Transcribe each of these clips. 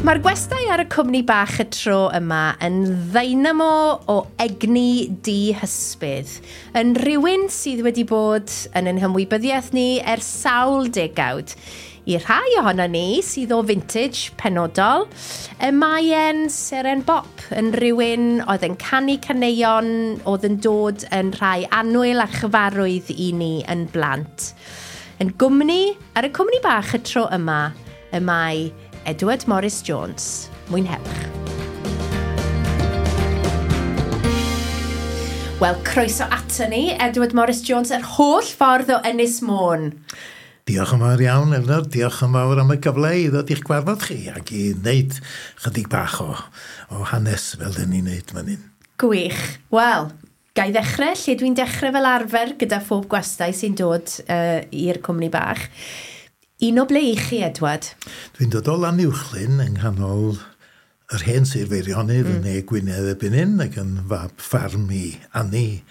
Mae'r gwestai ar y cwmni bach y tro yma yn ddeinamo o egni dihysbydd, yn rhywun sydd wedi bod yn ein hymwybyddiaeth ni ers sawl degawd. I rhai ohono ni sydd o vintage penodol, y mae e'n seren bop, yn rhywun oedd yn canu caneuon oedd yn dod yn rhai annwyl a chyfarwydd i ni yn blant. Yn gwmni, ar y cwmni bach y tro yma, y mae Edward Morris Jones. Mwynhewch. Wel, croeso ato ni, Edward Morris Jones, yr holl ffordd o Ynys Môn. Diolch yn fawr iawn, Elnor. Diolch yn fawr am y gyfle i ddod i'ch gwarfod chi ac i wneud chydig bach o hanes fel dyn ni'n wneud fan hyn. Gwych. Wel, ga i ddechrau lle dwi'n dechrau fel arfer gyda phob gwestai sy'n dod i'r cwmni bach. Un o ble i chi, Edward? Dwi'n dod o Lanuwchllyn yng nghanol yr hen Sir Feirionnydd yn Ne Gwynedd erbyn hyn, ac yn fab ffarm i Annie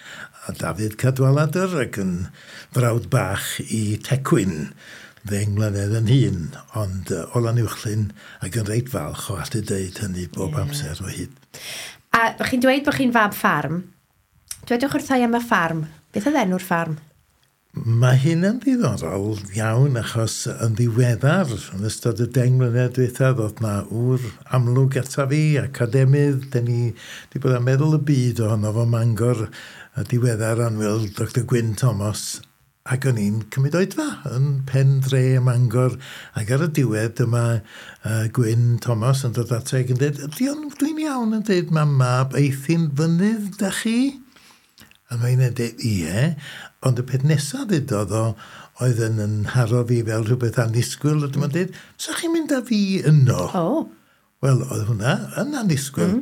a Dafydd Cadwaladr, ac yn frawd bach i Tecwyn, 10 mlynedd yn hŷn, ond o Lanuwchllyn, ac yn reit falch o allu deud hynny bob amser o hyd. A chi'n dweud bod chi'n fab ffarm. Dwedwch wrtha i am y ffarm. Beth oedd enw'r ffarm? Mae hyn yn ddiddorol iawn achos yn ddiweddar, yn ystod y 10 mlynedd diwethaf, oedd na ŵr amlwg ata fi, academydd, dyn ni wedi bod yn meddwl y byd ohono fo Mangor, y diweddar annwyl Dr Gwyn Thomas, ac o'n i'n cymryd oedfa yn pen dre Mangor, ac ar y diwedd dyma Gwyn Thomas yn dod ata ac yn dweud, dwi'n iawn yn dweud, mae mab Eithin Fynydd da chi? A mae'n dweud, ie, ond y peth nesaf ddudodd o oedd yn nharo fi fel rhywbeth annisgwyl, a dyma'n dweud, sa chi'n mynd â fi yno? Oh. Wel, oedd hwnna yn annisgwyl.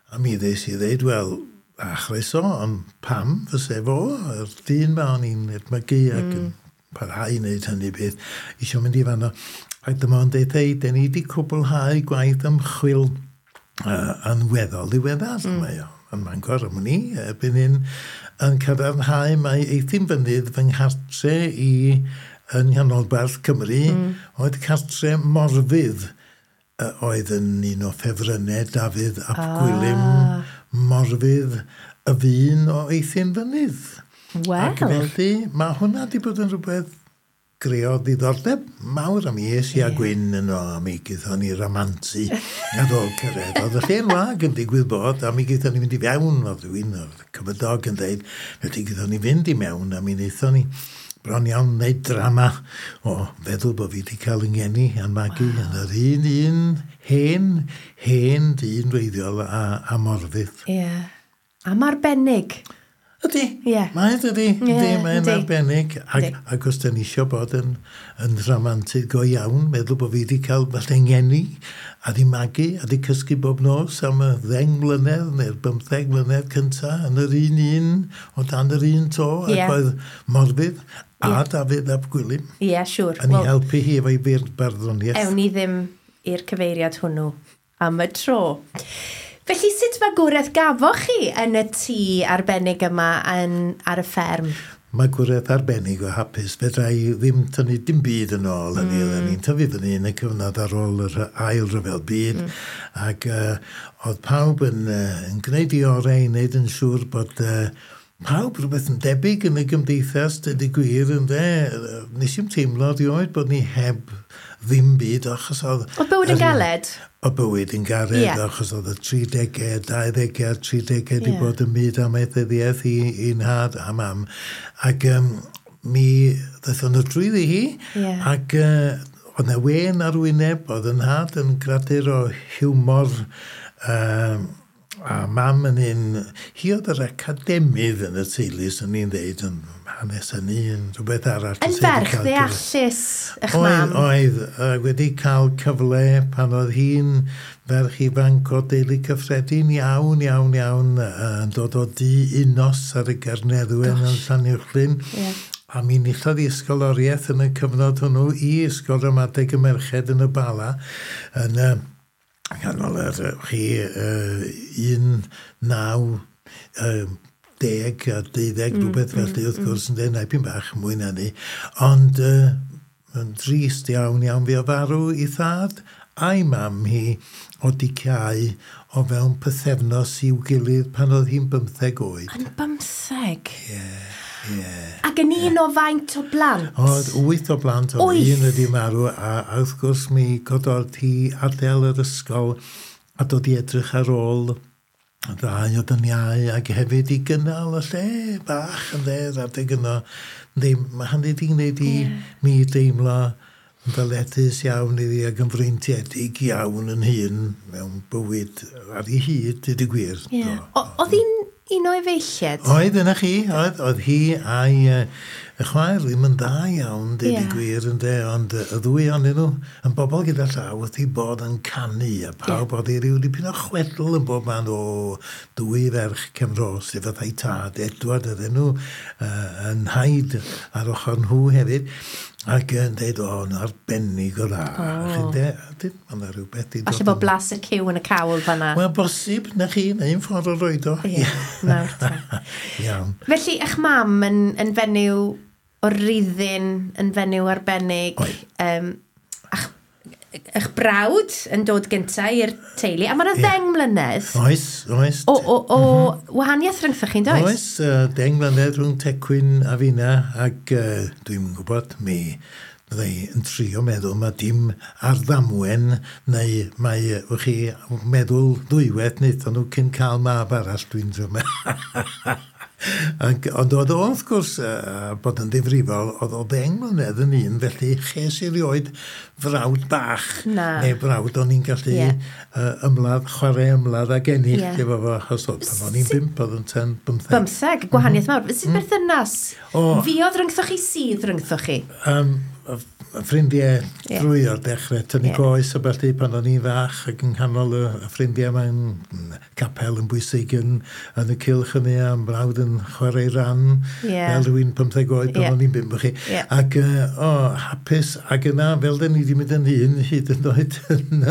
A mi ddes i ddeud, wel, a chroeso, ond pam fyse fo, yr dyn ma o'n i'n edmygu ac yn parhau i wneud hynny beth, eisiau mynd i fanno. Ac dyma o'n deud, hei, den ni wedi cwblhau gwaith ymchwil yn weddol ddiweddar. Mae o yn Mangor, am wn i, erbyn hyn, yn cadarnhau mai Eithin Fynydd fy nghartre i yn nghanolbarth Cymru, oedd cartre Morfudd, oedd yn un o ffefrynnau Dafydd ap Gwilym, Morfudd y fun o Eithin Fynydd. Wel. Ac felly, mae hwnna wedi bod yn rhywbeth greodd ddiddordeb mawr am i es i a Gwyn yno, a mi gaethon ni ramantu ar ôl cyrraedd. Oedd y lle'n wag yn digwydd bod, a mi gaethon ni fynd i fewn, oedd rhywun o'r cymydog yn dweud, felly gaethon ni fynd i mewn, a mi wnaethon ni bron iawn wneud drama o feddwl bod fi wedi cael yng ngeni a'n magu yn yr un hen dyn wreiddiol a Morfudd. Ie. Am arbennig. Ydy. Mae ydy. Ydy, mae'n arbennig. Ac os da ni eisiau bod yn rhamantydd go iawn, meddwl bod fi wedi cael falle ngeni, a di magu, a di cysgu bob nos am y 10 mlynedd neu'r 15 mlynedd cynta yn yr un o dan yr un to, ac oedd Morfudd a Dafydd ap Gwilym. Ie, siŵr. Yn ei helpu hi efo'i barddoniaeth. Ewn ni ddim i'r cyfeiriad hwnnw am y tro. Felly, sut magwraeth gafoch chi yn y tŷ arbennig yma ar y fferm? Magwraeth arbennig o hapus. Fedra i ddim tynnu dim byd yn ôl hynny. Oedden ni'n tyfu fyny yn y cyfnod ar ôl yr ail ryfel byd. Ac oedd pawb yn gwneud i orau i wneud yn siŵr bod pawb rhywbeth yn debyg yn y gymdeithas, dweud y gwir, ynde. Nes i'm teimlo erioed bod ni heb ddim byd, achos oedd... Oedd bywyd yn galed? O bywyd yn galed, achos oedd y 30au, 20au, 30au wedi bod yn byd amaethyddiaeth i nhad a mam. Ac mi ddaethon nhw drwyddi hi, ac oedd 'na wên ar wyneb, oedd yn nhad yn gradur o hiwmor, a mam yn un, hi oedd yr academydd yn y teulu, swn i'n ddeud, yn hanes hynny, yn rhywbeth arall. Yn ferch ddeallus eich mam. Oedd, wedi cael cyfle pan oedd hi'n ferch ifanc o deulu cyffredin iawn, iawn, iawn, yn dod o dŷ unnos ar y Garneddwen yn Llanuwchllyn. A mi enillodd hi ysgoloriaeth yn y cyfnod hwnnw i Ysgol Ramadeg y Merched yn y Bala, yn ganol yr chi 1, 9, 10 a 12, rhywbeth felly, wrth gwrs, yn dweud, naipyn bach mwy na ni. Ond yn drist iawn, iawn, fi o farw i thad a'i mam hi o diciau o fewn pythefnos i'w gilydd pan oedd hi'n 15 oed. Yn 15? Ie. Yeah. Ac yn un o faint o blant? Oedd 8 o blant, oedd un wedi marw, a wrth gwrs mi gododd hi adael yr ysgol a dod i edrych ar ôl y ddau o dyniau ac hefyd i gynnal y lle bach yn dde, adeg yno. Ddim, mae hynny wedi gwneud i mi deimlo yn ddyledus iawn iddi ac yn freintiedig iawn yn hun mewn bywyd ar ei hyd, dweud y gwir. Yeah. Oedd hi'n un o efeilliad? Oedd, yna chi, oedd hi a'i y chwaer ddim yn dda iawn, deud y gwir, ynde, ond y ddwy ohonyn nhw yn bobl gyda llaw wrth i bod yn canu, a pawb oedd i ryw dipyn o chwedl yn bob man o dwy ferch Cymro, sef fatha'i tad, Edward ydyn nhw, yn haid ar ochr nhw hefyd, ac yn dweud, o, yn arbennig o dda. Oh. Mae yna rhywbeth i dod. Falle bod blas y cyw yn y cawl fanna. Wel, bosib, na chi, na un ffordd o roed o. Ie, nawr te. Iawn. Felly, eich mam yn fenyw o ruddin, yn fenyw arbennig. Eich brawd yn dod gyntaf i'r teulu, a mae'n 10 mlynedd. Oes, oes. O wahaniaeth rhyngthoch chi'n does? Oes, 10 mlynedd rhwng Tecwyn a finna, ac dwi'n gwybod, mi fyddai yn trio meddwl mae dim ar ddamwen, neu mae, wch chi, meddwl ddwywaith wnaethon nhw cyn cael mab arall, dwi'n trio meddwl. Ond oedd o, wrth gwrs, bod yn ddifrifol, oedd o 10 mlynedd yn un, felly ches i rioed frawd bach. Na. Neu brawd o'n i'n gallu ymladd, chwarae ymladd ag ennill efo fo, achos oedd pan o'n i'n 5, oedd yn 10, 15. 15, gwahaniaeth mawr. Sut berthynas fuodd rhyngthoch chi, sydd rhyngthoch chi? Ffrindiau drwy o'r dechrau, tynnu goes a felly pan o'n i'n fach ac yng nghanol y ffrindiau mae'n capel yn bwysig yn y cylch hynny a'n brawd yn chwarae ran fel rhywun 15 oed pan o'n i'n 5 chi. Ac hapus ac yna fel dyn ni wedi mynd yn hŷn hyd yn oed yn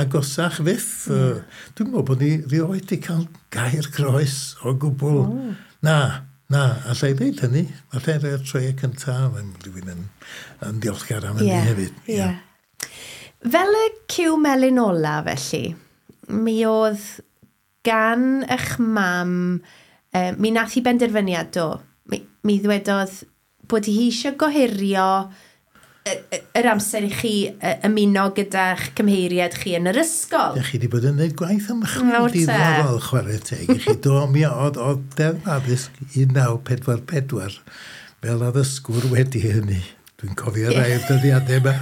agosach fyth. Dwi'n meddwl bod ni rioed wedi cael gair croes o gwbl. Na, allai ddeud hynny. Allai rhoi'r troiau cyntaf, mae rhywun yn diolchgar am hynny hefyd. Yeah. Fel y cyw melyn ola, felly, mi oedd gan eich mam, mi nath hi benderfyniad do. Mi ddwedodd bod hi eisiau gohirio yr amser i chi ymuno gyda'ch cymheiriad chi yn yr ysgol. Dych chi wedi bod yn gwneud gwaith ymchwil diddorol, chwarae teg i chi. Do, mi oedd Deddf Addysg 1944 fel addysgwr wedi hynny. Dwi'n cofio rai o'r dyddiadau yma.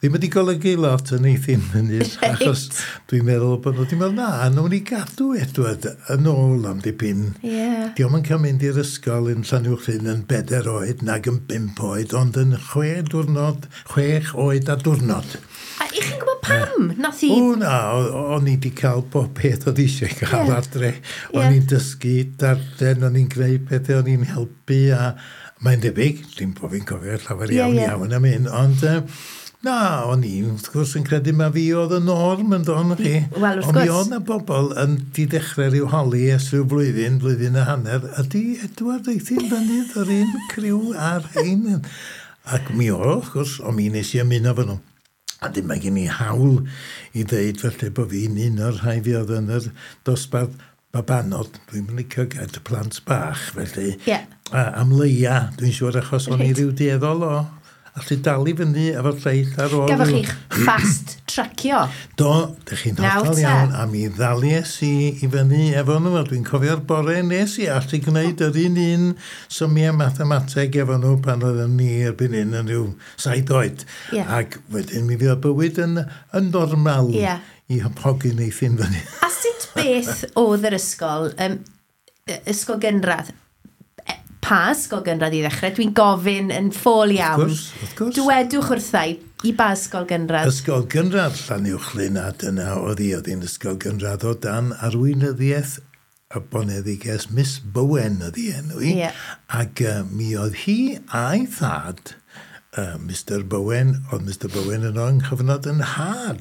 Ddim wedi golygu lot yn eithaf hynny, achos dwi'n meddwl bod nhw wedi meddwl, na, nhw'n i gadw Edward yn ôl am dipyn. Yeah. Dio'm yn cael mynd i'r ysgol yn Llanuwchllyn yn 4 oed, nag yn 5 oed, ond yn 6 diwrnod, 6 oed a diwrnod. A i chi'n gwybod pam? Nath i... O na, o'n i wedi cael bob peth oedd eisiau cael adre. O'n i'n dysgu darllen, o'n i'n gwneud pethau, o'n i'n helpu a mae'n debyg, dim bod fi'n cofio llawer iawn iawn am hyn, ond na, o'n i wrth gwrs yn credu ma fi oedd y norm yn don chi. Wel, wrth gwrs. Ond mi oedd na bobl yn di dechrau rhyw holi ers rhyw blwyddyn, blwyddyn a hanner, ydy Edward Eithin Fynydd yr un criw a'r rhein. Ac mi oedd, wrth gwrs, ond mi nes i ymuno fo nhw. A dim mae gen i hawl i ddeud felly bod fi'n un o'r rhai fi oedd yn yr dosbarth babanod, dwi'n licio gael y plant bach, felly. Am leia, dwi'n siŵr, achos o'n i ryw dueddol o allu dal i fyny efo'r lleill ar ôl. Gafoch chi'ch fast tracio? Do, dych chi'n hollol iawn, a mi ddalies i i fyny efo nhw, a dwi'n cofio'r bore nes i allu gwneud yr un symiau mathemateg efo nhw pan oedden ni erbyn hyn yn rhyw 7 oed. Ac wedyn mi fuodd bywyd yn normal i hogyn Eithin Fyny. A sut beth oedd yr ysgol, ysgol gynradd? Pa ysgol gynradd i ddechrau? Dwi'n gofyn yn ffôl iawn. Wrth gwrs. Dwedwch wrtha i ba ysgol gynradd? Ysgol gynradd Llanuwchllyn, a dyna oedd hi, oedd hi'n ysgol gynradd o dan arweinyddiaeth y boneddiges Miss Bowen oedd hi enw hi. Ac mi oedd hi a'i thad, Mr Bowen, oedd Mr Bowen yn o'n chyfnod yn nhad.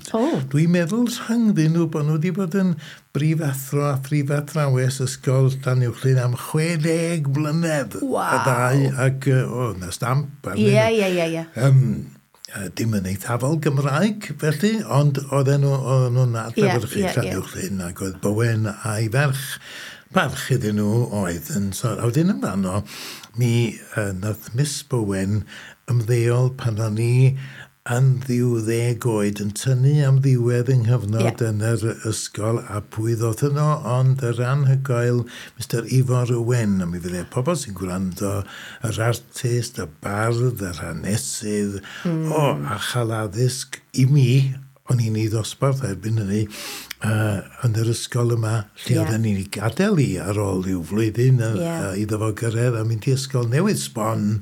Dwi'n meddwl rhyngddyn nhw bod nhw wedi bod yn brifathro a phrifathrawes ysgol Llanuwchllyn am 60 mlynedd. Waw. Y ddau, ac o, na stamp. Ie. Dim yn eithafol Gymraeg felly, ond oedden nhw'n adlewyrchu Llanuwchllyn, ac oedd Bowen a'i ferch parch iddyn nhw oedd yn... So, a wedyn yn fanno, mi nath Miss Bowen ymddeol pan o'n i yn ddiw 10 oed yn tynnu am ddiwedd yng nghyfnod yn yr ysgol, a pwy ddoth yno ond yr anhygoel Mr Ifor Owen, a mi fydde pobl sy'n gwrando, yr artist, y bardd, yr hanesydd, o, a chael addysg i mi, o'n i'n ei ddosbarth erbyn hynny, yn yr ysgol yma, lle oedden ni'n ei gadael i ar ôl i'w flwyddyn iddo fo gyrraedd a mynd i ysgol newydd sbon,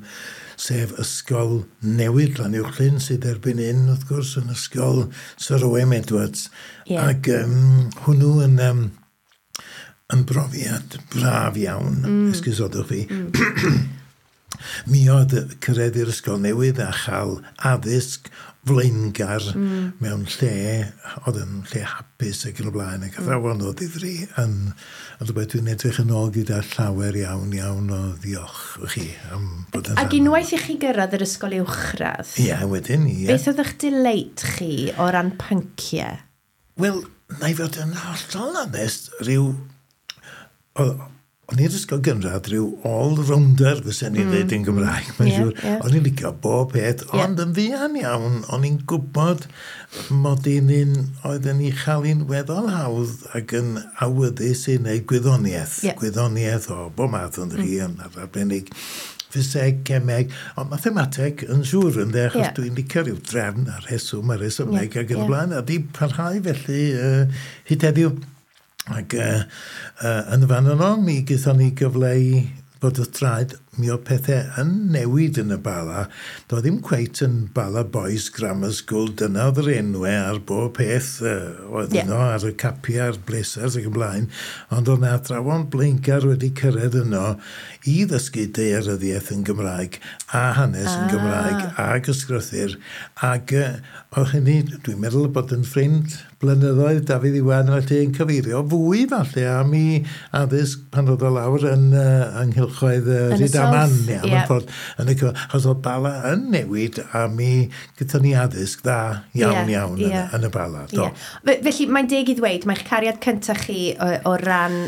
sef ysgol newydd Llanuwchllyn, sydd erbyn hyn, wrth gwrs, yn ysgol Sir Owen Edwards. Ac hwnnw yn, yn brofiad braf iawn, esgusodwch fi. Mi oedd cyrraedd i'r ysgol newydd a chael addysg flaengar mewn lle, oedd yn lle hapus ac yn y blaen, ac athrawon o ddifri yn rhywbeth dwi'n edrych yn ôl gyda llawer iawn, iawn o ddiolch i chi am bod yn Ac unwaith i chi gyrraedd yr ysgol uwchradd, Ie, wedyn, ie. Beth oedd eich delight chi o ran pynciau? Wel, na i fod yn hollol onest, rhyw... O'n i'r ysgol gynradd rhyw all-rounder, fysen ni'n dweud yn Gymraeg, mae'n siŵr. O'n i'n licio bob peth, ond yn fuan iawn, o'n i'n gwybod mod i'n un oedd yn ei chael hi'n weddol hawdd ac yn awyddus i wneud gwyddoniaeth. Gwyddoniaeth o bob math, ond chi yn arbennig ffiseg, cemeg, ond mathemateg yn siŵr yn de, achos dwi'n licio rhyw drefn a'r rheswm a'r rhesymeg ac yn y blaen, a di parhau felly hyd heddiw. Ac yn y fan yno, mi gaethon ni gyfle i bod wrth draed, mi oedd pethau yn newid yn y Bala. Doedd ddim cweit yn Bala Boys Grammar School, dyna oedd yr enwau ar bob peth oedd yno, ar y capiau, a'r blazers ac yn blaen. Ond oedd 'na athrawon blaengar wedi cyrraedd yno i ddysgu daearyddiaeth yn Gymraeg a hanes yn Gymraeg ag ysgrythur. Ac oedd hynny, dwi'n meddwl bod yn ffrind blynyddoedd Dafydd Iwan felly yn cyfeirio fwy falle am i addysg pan oedd o lawr yn ynghylchoedd Rhydaman, South, ie, mewn ffordd, yn y achos oedd Bala yn newid a mi gyda ni addysg dda iawn iawn yn y Bala. Do. Felly mae'n deg i ddweud, mae'ch cariad cyntaf chi o ran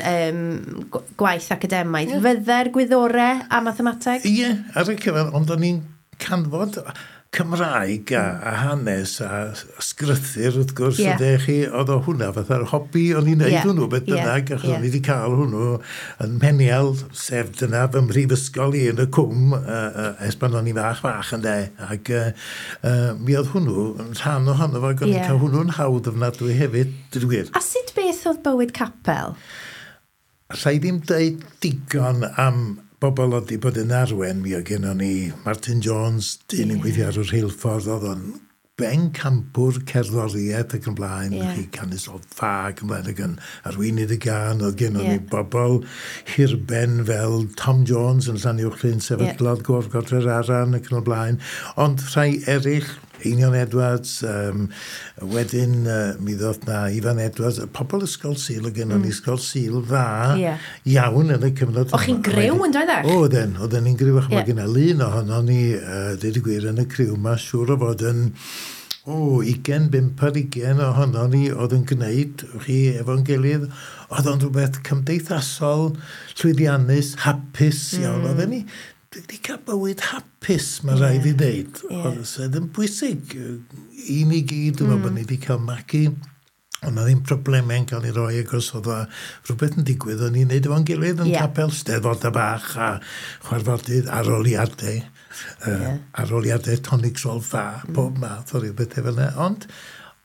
gwaith academaidd, fydde'r gwyddorau a mathemateg? Ie, ar y cyfan, ond o'n i'n canfod Cymraeg a hanes a ysgrythur, wrth gwrs, ydych chi, oedd o hwnna fatha'r hobi o'n i'n neud hwnnw, beth bynnag, achos o'n i wedi cael hwnnw yn Mheniel, sef dyna fy mhrifysgol i yn y cwm, ers pan o'n i fach fach ynde, ac mi oedd hwnnw yn rhan ohono fo, ac o'n i'n cael hwnnw'n hawdd ofnadwy hefyd, dweud gwir. A sut beth oedd bywyd capel? Alla i ddim deud digon am bobl oedd wedi bod yn arwen, mi oedd gennon ni Martin Jones, dyn yn gweithio ar y rheilffordd, oedd o'n bencampwr cerddoriaeth ac yn blaen, chi canu solfa ac yn blaen, ac yn arweinydd y gân, oedd gennon ni bobl hirben fel Tom Jones yn Llanuwchllyn, sefydlodd Gôr Godre'r Aran ac yn y blaen, ond rhai eraill, Einion Edwards, wedyn mi ddoth na Ifan Edwards, pobl ysgol Sul, oedd gennon ni ysgol Sul dda iawn yn y cyfnod. O'ch chi'n griw yn doeddech? Oedden, oedden ni'n griw, ac mae genna lun ohono ni, dweud y gwir, yn y criw, mae siŵr o fod yn 25 ar 20 ohono ni oedd yn gwneud chi efo'n gilydd, oedd o'n rhywbeth cymdeithasol, llwyddiannus, hapus iawn. Oedden ni wedi cael bywyd hapus, mae rhaid i ddeud. Oedd sydd yn bwysig i ni gyd, dwi'n meddwl bod ni wedi cael magu. Ond na ddim problemau'n cael ei roi, achos oedd o rhywbeth yn digwydd, o'n i'n neud efo'n gilydd yn capel, steddfodau bach a chwarfodydd, aroliadau, aroliadau tonic sol fa, pob math o rhywbeth fel yna. Ond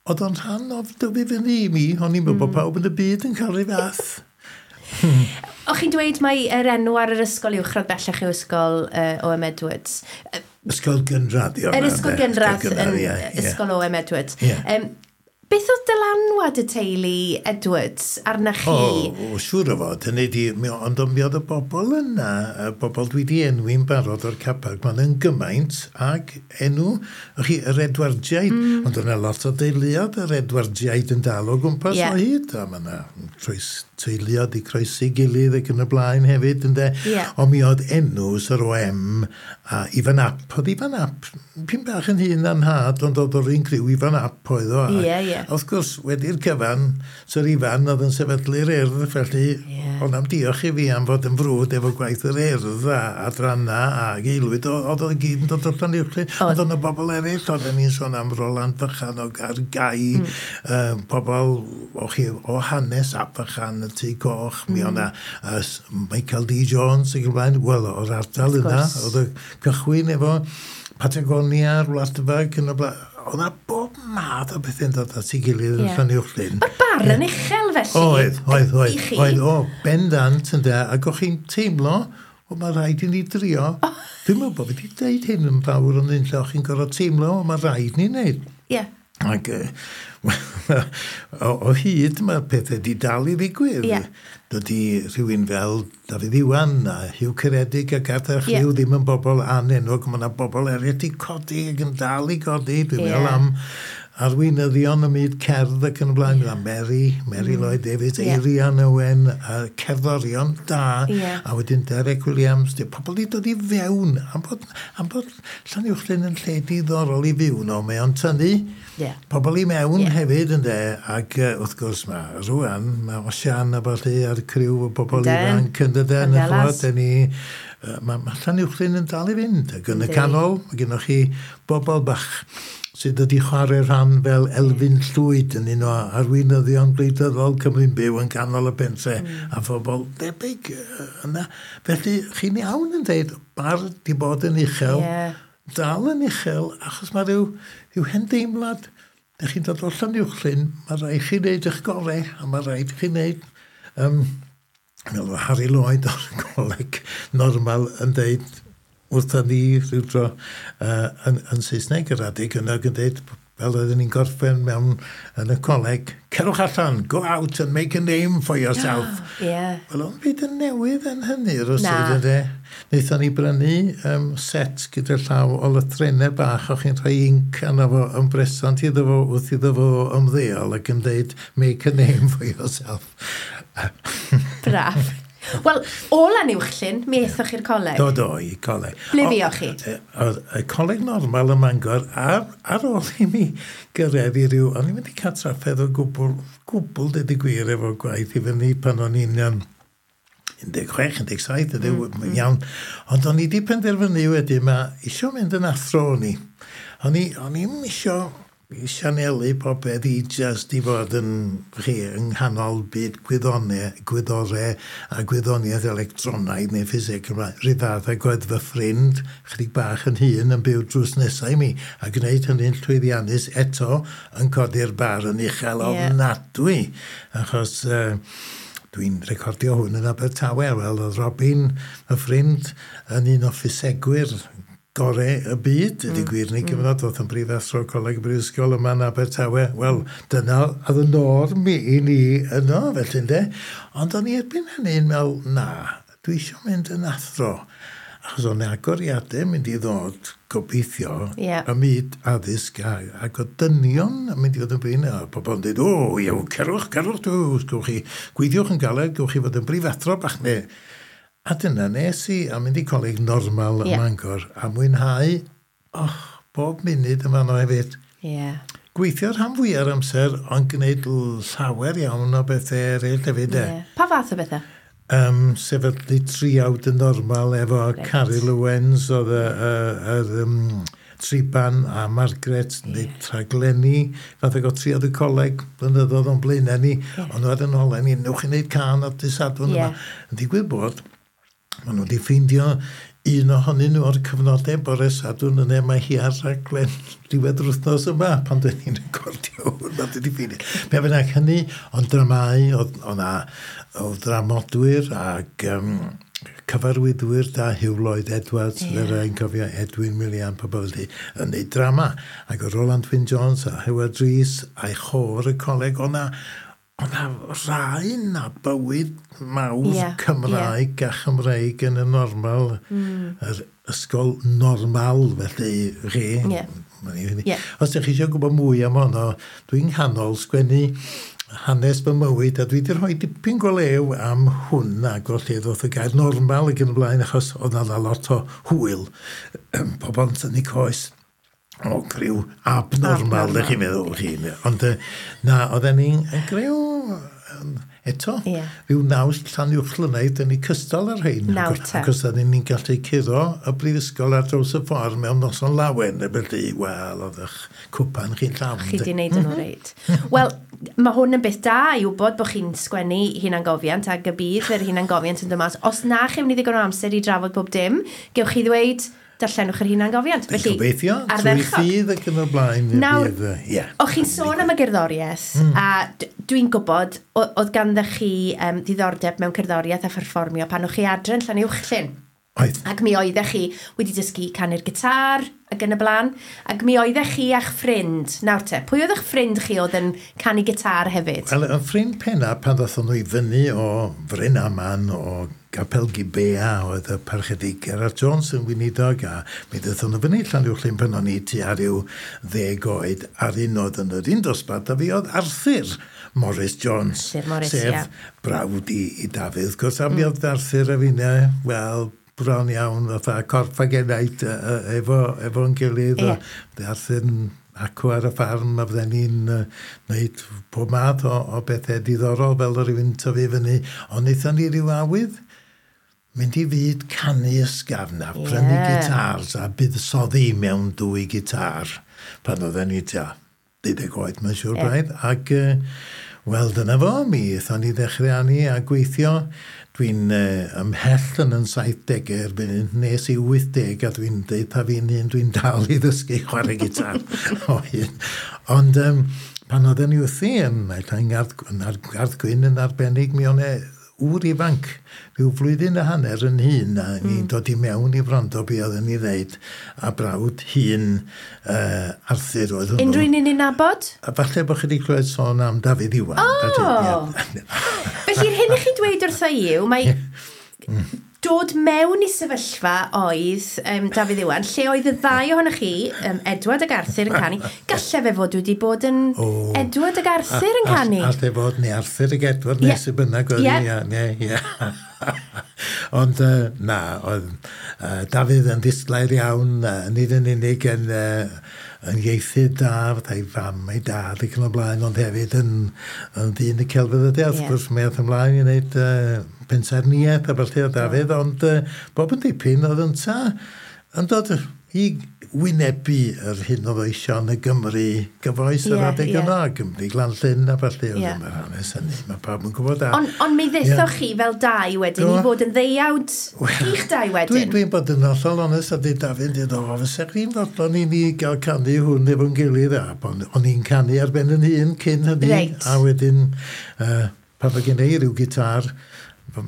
oedd o'n rhan o dyfu fyny i mi, o'n i'n meddwl bod pawb yn y byd yn cael rhyw fath. O'ch chi'n dweud mai yr enw ar yr ysgol uwchradd bellach yw ysgol O.M. Edwards. Ysgol gynradd, Yr ysgol gynradd yn ysgol O.M. Edwards. Beth oedd dylanwad y teulu Edwards arna chi? O, siŵr o fod, hynny di, ond mi oedd y bobl yna, y bobl dwi di enwi'n barod o'r Caparc, maen yn gymaint ag enw, chi, yr Edwardiaid, ond yna lot o deuluodd yr Edwardiaid yn dal o gwmpas o hyd, a mae yna teuluodd i croesi gilydd ac yn y blaen hefyd, ynde. Ond mi oedd enw Sir O.M. a Ifan Ap, oedd Ifan Ap, pyn bach yn hŷn na'n nhad, ond oedd o'r un criw Ifan Ap oedd o. Wrth gwrs, wedi'r cyfan, Sir Ifan oedd yn sefydlu'r Urdd, felly ond am diolch i fi am fod yn frwd efo gwaith yr Urdd a adranna a Aelwyd, oedd o'n gyd yn dod o Llanuwchllyn. Ond oedd yna bobl eraill, oedden ni'n sôn am Roland Fychan o Gargai, pobl o hanes Ap Fychan, y Tŷ Coch, mi o'na Michael D. Jones ac yn blaen, wel, o'r ardal yna, oedd y cychwyn efo Patagonia, Wladfa, ac yn y blaen. Oedd yna bob math o bethau'n dod at ei gilydd yn Llanuwchllyn. Mae'r bar yn uchel felly. Oedd, o, bendant ynde, ac o'ch chi'n teimlo, o, mae rhaid i ni drio. Dwi'n meddwl bod fi wedi deud hyn yn fawr ond un lle o'ch chi'n gorfod teimlo, o, mae rhaid ni wneud. Ac o hyd mae'r pethau di dal i ddigwydd. Dydy rhywun fel Dafydd Iwan a Huw Ceredig ac Arthur Rhyw ddim yn bobl anenwog. Mae yna bobl eraill di codi ac yn dal i godi. Dwi'n meddwl am arweinyddion y myd cerdd ac yn y blaen. Mary Lloyd Davies, Eirian Owen, a cerddorion da, a wedyn Derek Williams. Pobl di dod i fewn, am bod Llanuwchllyn yn lle diddorol i fyw no, mae o'n tynnu pobl i mewn hefyd, ynde, ac wrth gwrs mae rwan, mae Osian a ballu a'r criw o bobl ifanc yn dydyn, mae Llanuwchllyn yn dal i fynd, ac yn y canol, mae gennych chi bobl bach sydd wedi chwarae rhan fel Elfyn Llwyd yn un o arweinyddion gwleidyddol Cymru'n byw yn canol y pentre a phobl debyg yna. Felly, chi'n iawn yn dweud, bar di bod yn uchel, dal yn uchel, achos mae rhyw hen deimlad, ydych chi'n dod o Llanuwchllyn, mae rhaid chi wneud eich gorau, a mae rhaid chi wneud, fel Harry Lloyd o'r coleg normal yn dweud, wrtha ni rhyw dro yn Saesneg yr adeg yna yn dweud, fel oedden ni'n gorffen mewn yn y coleg, cerwch allan, go out and make a name for yourself. Wel, o'n byd yn newydd yn hynny, rywsut, ynde. Wnaethon ni brynu set gyda llaw o lythrennau bach, o'ch chi'n rhoi inc arno fo yn bresant iddo fo wrth iddo fo ymddeol ac yn dweud, make a name for yourself. Braf. Wel, o Llanuwchllyn, mi aethoch chi'r coleg? Do, i coleg. Ble fuoch chi? Y coleg normal ym Mangor, ar ôl i mi gyrraedd i ryw, o'n i'n mynd i cael trafferth o gwbl deud y gwir efo gwaith i fyny pan o'n i'n 16, 17, iawn. Ond o'n i wedi penderfynu wedyn, mae isio mynd yn athro o'n i. O'n i'n isio i sianelu popeth i just i fod yn, chi, yng nghanol byd gwyddore a gwyddoniaeth electronaidd neu ffiseg. Rhyw fath ag oedd fy ffrind, chydig bach yn hŷn, yn byw drws nesau i mi, a gwneud hynny'n llwyddiannus eto yn codi'r bar yn uchel ofnadwy. Achos dwi'n recordio hwn yn Abertawe. Wel, oedd Robin, fy ffrind, yn un o ffisegwyr gorau y byd, ydy gwir ni gyfnod, oedd yn brifathro Coleg y Brifysgol yma yn Abertawe. Wel, dyna oedd y norm i ni yno, felly ynde. Ond o'n i erbyn hynny'n meddwl, na, dwi eisiau mynd yn athro. Achos o'n agoriadau mynd i ddod, gobeithio, y myd addysg ac o dynion yn mynd i fod yn brin. A pobl yn dweud, o, iawn, cerwch, gewch chi, gweithiwch yn galed, gewch chi fod yn brifathro bach neu. A dyna nes i, a mynd i coleg normal ym Mangor, a mwynhau, bob munud yma yno hefyd. Gweithio'r rhan fwyaf amser, ond gwneud llawer iawn o bethau eraill hefyd. Pa fath o bethau? Sefydlu triawd yn normal efo Caryl Owens, oedd yr Triban a Margaret, neu rhaglenni, fath ag o triawd y coleg, blynyddoedd o'n blaenau ni, ond oedd yn olau ni, newch chi wneud cân ar dydd Sadwrn yma. Yn digwydd bod, maen nhw wedi ffeindio un ohonyn nhw o'r cyfnodau bore Sadwrn yna, mae hi ar raglen diwedd yr wythnos yma pan dyn ni'n recordio hwn, mae wedi ffeindio. Be bynnag hynny, ond dramau, oedd dramodwyr ac cyfarwyddwyr da, Huw Lloyd Edwards, yeah. Fe cofio Edwin Millian, pobl felly, yn neud drama. Ac oedd Roland Wyn Jones a Howard Rees a'i chôr y coleg, o'na rhain a bywyd mawr Cymraeg a Chymreig yn y normal, yr ysgol normal, felly chi. Os ydych chi eisiau gwybod mwy am honno, dwi'n nghanol sgwennu hanes fy mywyd, a dwi wedi rhoi dipyn go lew am hwn ac o lle ddoth y gair normal ac yn y blaen, achos oedd 'na lot o hwyl, pobl yn tynnu coes o griw abnormal, ydych chi'n meddwl chi. Ond na, oedden ni'n griw eto, rhyw naws Llanuwchllynaidd, dyn ni cystal ar rhain. Nawr te. Ac os oedden ni'n gallu curo y brifysgol ar draws y ffordd mewn noson lawen, felly, wel, oedd eich cwpan chi'n llawn. Chi di wneud yn reit. Wel, mae hwn yn beth da i wybod bod chi'n sgwennu hunangofiant ac y bydd yr hunangofiant yn dod mas. Os na chi'n mynd i ddigon o amser i drafod bob dim, gewch chi ddweud, darllenwch yr hunangofiant. Felly, gobeithio, trwy ffydd ac yn y blaen. Nawr, o'ch chi'n sôn am y gerddoriaeth, a dwi'n gwybod, oedd ganddo chi ddiddordeb mewn cerddoriaeth a pherfformio pan o'ch chi adre yn Llanuwchllyn. Oedd. Ac mi oeddech chi wedi dysgu canu'r gitar ac yn y blaen. Ac mi oeddech chi a'ch ffrind. Nawr te, pwy oedd eich ffrind chi oedd yn canu gitar hefyd? Wel, y ffrind penna pan ddothon nhw i fyny o Fryn Aman, o Gapel Gibea, oedd y parchedig Gerard Jones yn weinidog, a mi ddothon nhw fyny Llanuwchllyn pan o'n i tua rhyw 10 oed, a'r un oedd yn yr un dosbarth, a fi oedd Arthur Morris Jones. Arthur Morris, sef brawd i Dafydd, wrth gwrs, a mi oedd Arthur a finne, wel, bron iawn, fatha corff ag enaid efo'n gilydd. Yeah. Arthur yn acw ar y ffarm, a fydden ni'n wneud pob math o bethau diddorol fel rhywun tyfu fyny. Ond wnaethon ni ryw awydd mynd i fyd canu ysgafn a prynu gitars a buddsoddi mewn 2 gitar pan oedden ni tua 12 oed, mae'n siŵr braidd. Ac, wel, dyna fo, mi aethon ni ddechrau arni a gweithio. Dwi'n ymhell yn 70au erbyn hyn, nes i 80, a dwi'n deud pa fi'n hun, dwi'n dal i ddysgu chwarae gitar o hyn. Ond pan oedden ni wrthi yn Gardd Gwyn yn arbennig, mi o'n ŵr ifanc, rhyw flwyddyn a hanner yn hŷn, a ni'n dod i mewn i wrando be oedden ni ddeud, a brawd hŷn Arthur oedd hwnnw. Unrhyw un i'n nabod? A falle bod chi wedi clywed sôn am Dafydd Iwan. O! Felly'r hyn i chi dweud wrtho i yw, mae dod mewn i sefyllfa oedd Dafydd Iwan, lle oedd y ddau ohonoch chi, Edward ac Arthur yn canu, gallai fe fod wedi bod yn Edward ac Arthur yn canu. Allai fod, neu Arthur ac Edward, neu sy'n bynnag oedd hi. Ond na, oedd Dafydd yn ddisglair iawn, nid yn unig yn ieithydd da, fatha ei fam, ei dad ac yn y blaen, ond hefyd yn ddyn y celfyddydau. Wrth gwrs, mi aeth ymlaen i wneud pensaernïaeth a ballu o Dafydd, ond bob yn dipyn oedd ynta yn dod i wynebu yr hyn oedd o eisiau yn y Gymru gyfoes yr adeg yna, Gymru Glan-llyn a ballu, oedd yma'r hanes hynny, mae pawb yn gwybod. Ond mi ddethoch chi fel dau wedyn i fod yn ddeuawd chi'ch dau wedyn. Dwi'n bod yn hollol onest a dweud Dafydd, dweud, o, fysa chdi'n fodlon i ni gael canu hwn efo'n gilydd, a o'n i'n canu ar ben yn hun cyn hynny, a wedyn pan oedd gen i ryw gitar,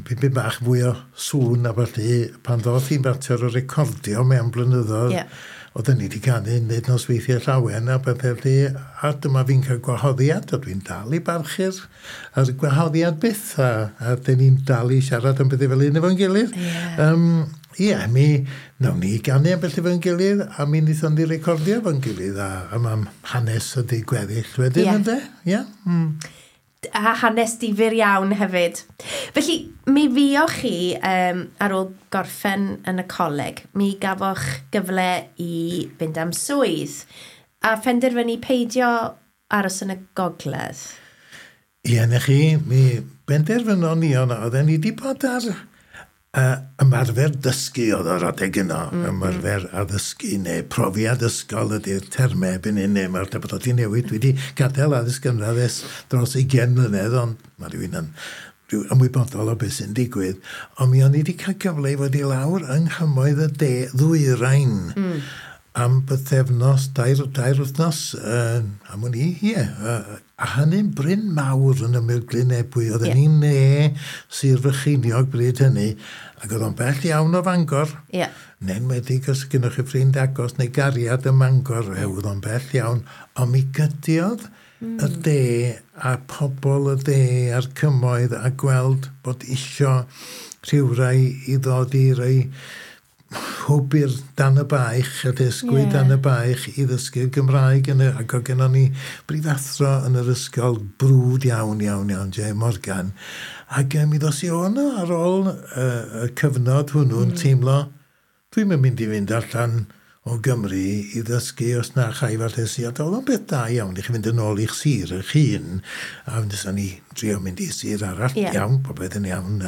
pipyn bach fwy o sŵn a ballu, pan ddoth hi'n fater o recordio mewn blynyddoedd, oedden ni wedi canu wneud nosweithiau llawen a bethau felly, a dyma fi'n cael gwahoddiad, a dwi'n dal i barchu'r yr gwahoddiad byth, a dyn ni'n dal i siarad am bethau fel un efo'n gilydd. Ie, mi nawn ni ganu am bethau efo'n gilydd, a mi wnaethon ni recordio efo'n gilydd, a mae hanes ydi gweddill wedyn, ynde? Ie. A hanes difyr iawn hefyd. Felly, mi fuoch chi ar ôl gorffen yn y coleg, mi gafoch gyfle i fynd am swydd a phenderfynu peidio aros yn y gogledd. Ie, na chi, mi benderfynon ni o'na, oedden ni wedi bod ar ymarfer dysgu oedd o'r adeg yno, ymarfer addysgu neu profiad ysgol ydy'r termau erbyn hyn, neu mae'r bod wedi newid. Dwi wedi gadael addysg gynradd ers dros 20 mlynedd, ond mae rhywun yn ymwybodol o beth sy'n digwydd. Ond mi o'n i wedi cael cyfle i fod i lawr yng nghymoedd y de ddwyrain. Am bythefnos, 2 wythnos, am wn i, ie. A hynny'n bryn mawr yn ymyl Glyn Ebwy. Oedden ni'n ne Sir Frycheiniog bryd hynny, ac oedd o'n bell iawn o Fangor. Neu'n enwedig os gynnwch chi ffrind agos neu gariad ym Mangor, oedd o'n bell iawn. Ond mi gydiodd y de a pobl y de a'r cymoedd a gweld bod isio rhywrai i ddod i roi hwb i'r dan y baich, a dysgu dan y baich i ddysgu'r Gymraeg. Ac oedd gennon ni brifathro yn yr ysgol brwd iawn, iawn, iawn, J Morgan. Ac mi ddos i o yno ar ôl y cyfnod hwnnw'n teimlo, dwi'm yn mynd i fynd allan o Gymru i ddysgu os na chai falle si. A oedd o'n beth da iawn i chi fynd yn ôl i'ch sir eich hun. A wnaethon ni drio mynd i sir arall. Iawn, popeth yn iawn.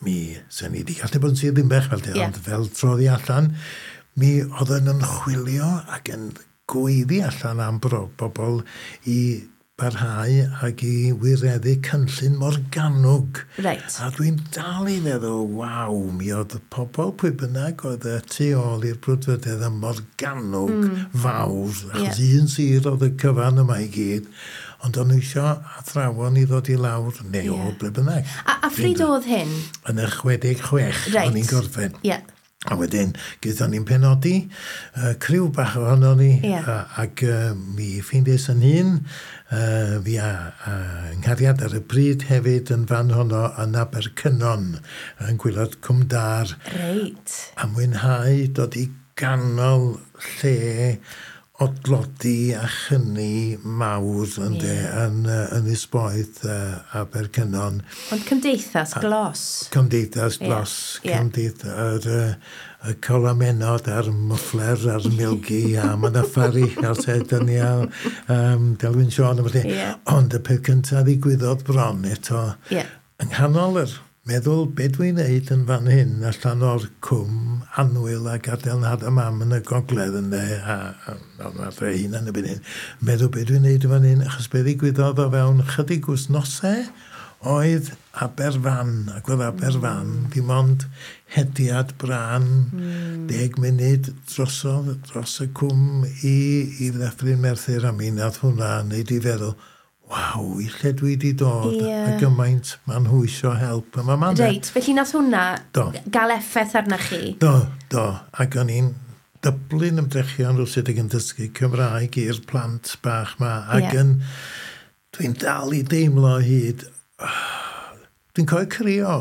Mi sen ni wedi gallu bod yn sir Ddinbych fel ond fel troddi allan, mi oedden yn chwilio ac yn gweiddi allan am bobl i barhau ac i wireddu cynllun Morgannwg. A dwi'n dal i feddwl, waw, mi oedd pobl pwy bynnag oedd y tu ôl i'r brwdfrydedd y Morgannwg fawr, achos un sir oedd y cyfan yma i gyd, ond o'n nhw eisiau athrawon i ddod i lawr, neu o ble bynnag. A phryd oedd hyn? Yn y 66, o'n i'n gorffen. A wedyn, gaethon ni'n penodi, criw bach ohono ni, ac mi ffeindiais yn hun, fi a nghariad ar y pryd hefyd yn fan honno yn Abercynon, yn gwaelod Cwmdâr. A mwynhau dod i ganol lle o dlodi a chyni mawr ynde, yn Ynys Boeth Abercynon. Ond cymdeithas glos. Cymdeithas glos. Cymdeithas, y colamenod a'r mwffler a'r milgi a Manaffari a'r Sedania Delwyn Siôn a felly. Ond y peth cyntaf ddigwyddodd bron eto, yng nghanol yr meddwl be dwi'n neud yn fan hyn allan o'r cwm annwyl a gadael nhad a mam yn y gogledd ynde, a adre hunan erbyn hyn, meddwl be dwi'n neud yn fan hyn, achos be ddigwyddodd o fewn chydig wythnosau oedd Aberfan, ac oedd Aberfan dim ond hediad brân 10 munud drosodd dros y cwm i Ddyffryn Merthyr, a mi nath hwnna neud i feddwl, waw, i lle dwi wedi dod, a gymaint ma'n nhw isio help. Reit, felly nath hwnna gael effaith arna chi? Do, do, ac o'n i'n dyblu'n ymdrechion rywsut ac yn dysgu Cymraeg i'r plant bach ma, ac yn, dwi'n dal i deimlo hyd, dwi'n cofio crio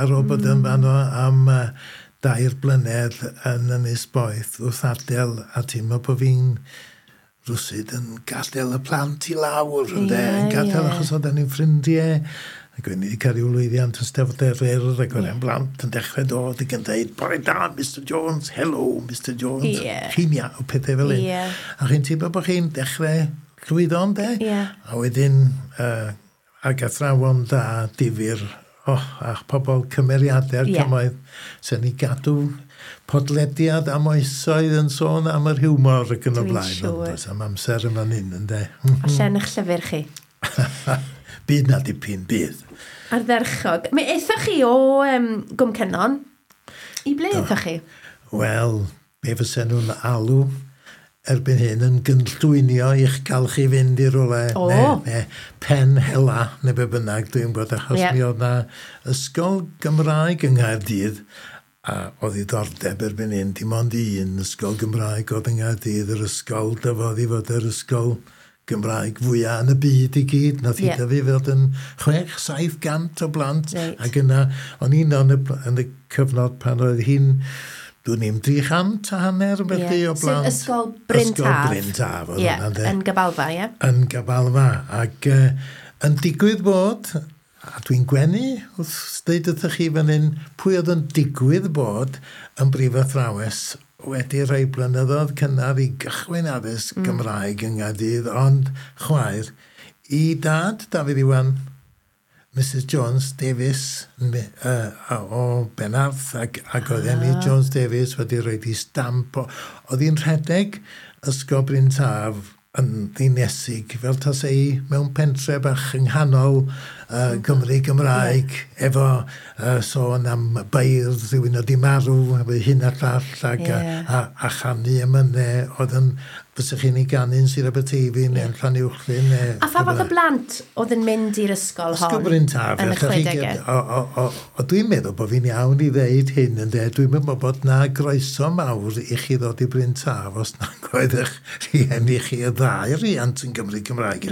ar ôl bod yn fanno am 2 blynedd yn Ynys Boeth wrth adael a teimlo bod fi'n rywsut yn gadael y plant i lawr, ynde, yn gadael achos oedden ni'n ffrindiau, ac o'n i wedi cael ryw lwyddiant yn Steddfod yr Urdd, ac oedd e'n blant yn dechrau dod ac yn dweud, bore da, Mr Jones, hello, Mr Jones, chi'n iawn, pethau fel hyn. A chi'n teimlo bod chi'n dechrau llwyddo, ynde? A wedyn, ac athrawon da, difyr, a'ch pobl cymeriadau'r cymoedd, sy'n ni gadw podlediad am oesoedd yn sôn am yr hiwmor ac yn y blaen. Ond does am amser yn fan hyn, ynde. A llen eich llyfr chi. Byd na dipyn, bydd. Ardderchog. Mi aethoch chi o Gwm Cynon. I ble aethoch chi? Wel, be fysen nhw'n alw erbyn hyn yn gynllwynio i'ch cael chi fynd i rywle, neu pen hela, neu be bynnag, dwi'n gwybod, achos mi oedd na ysgol Gymraeg yng Nghaerdydd, a oedd ddiddordeb erbyn hyn, dim ond un ysgol Gymraeg oedd yng Nghaerdydd, yr ysgol dyfodd i fod yr ysgol Gymraeg fwyaf yn y byd i gyd. Nath hi dyfu fod yn 600-700 o blant. Ac yna, o'n i'n yn y cyfnod pan oedd hi'n, dwi'n i'n 350 felly o blant. Sef Ysgol Bryn Taf. Ysgol Bryn Taf. Yn Gabalfa, ie? Yn Gabalfa. Ac yn digwydd bod, a dwi'n gwenu wrth ddeud wrthych chi fan hyn, pwy oedd yn digwydd bod yn brifathrawes wedi rhai blynyddoedd cynnar i gychwyn addysg Gymraeg yng Nghaerdydd, ond chwaer i dad Dafydd Iwan, Mrs Jones Davies o Benarth, ac oedd Emmy Jones Davies wedi rhoi di stamp. Oedd hi'n rhedeg Ysgol Bryn Taf yn ddinesig, fel tase i mewn pentre bach yng nghanol Gymru Gymraeg, efo sôn am beirdd, rhywun oedd 'di marw, efo hyn a llall, ac a chanu emynau oedd yn, fysech chi'n ei ganu yn Sir Aberteifi neu yn Llanuwchllyn. Neu, A pha fath o blant oedd yn mynd i'r ysgol hon? Ysgol Bryn Taf. Yn y 60au? O, dwi'n meddwl bod fi'n iawn i ddeud hyn, ynde. Dwi'n meddwl bod na groeso mawr i chi ddod i Bryn Taf os nag oedd eich rhieni chi y ddau riant yn Gymru Cymraeg.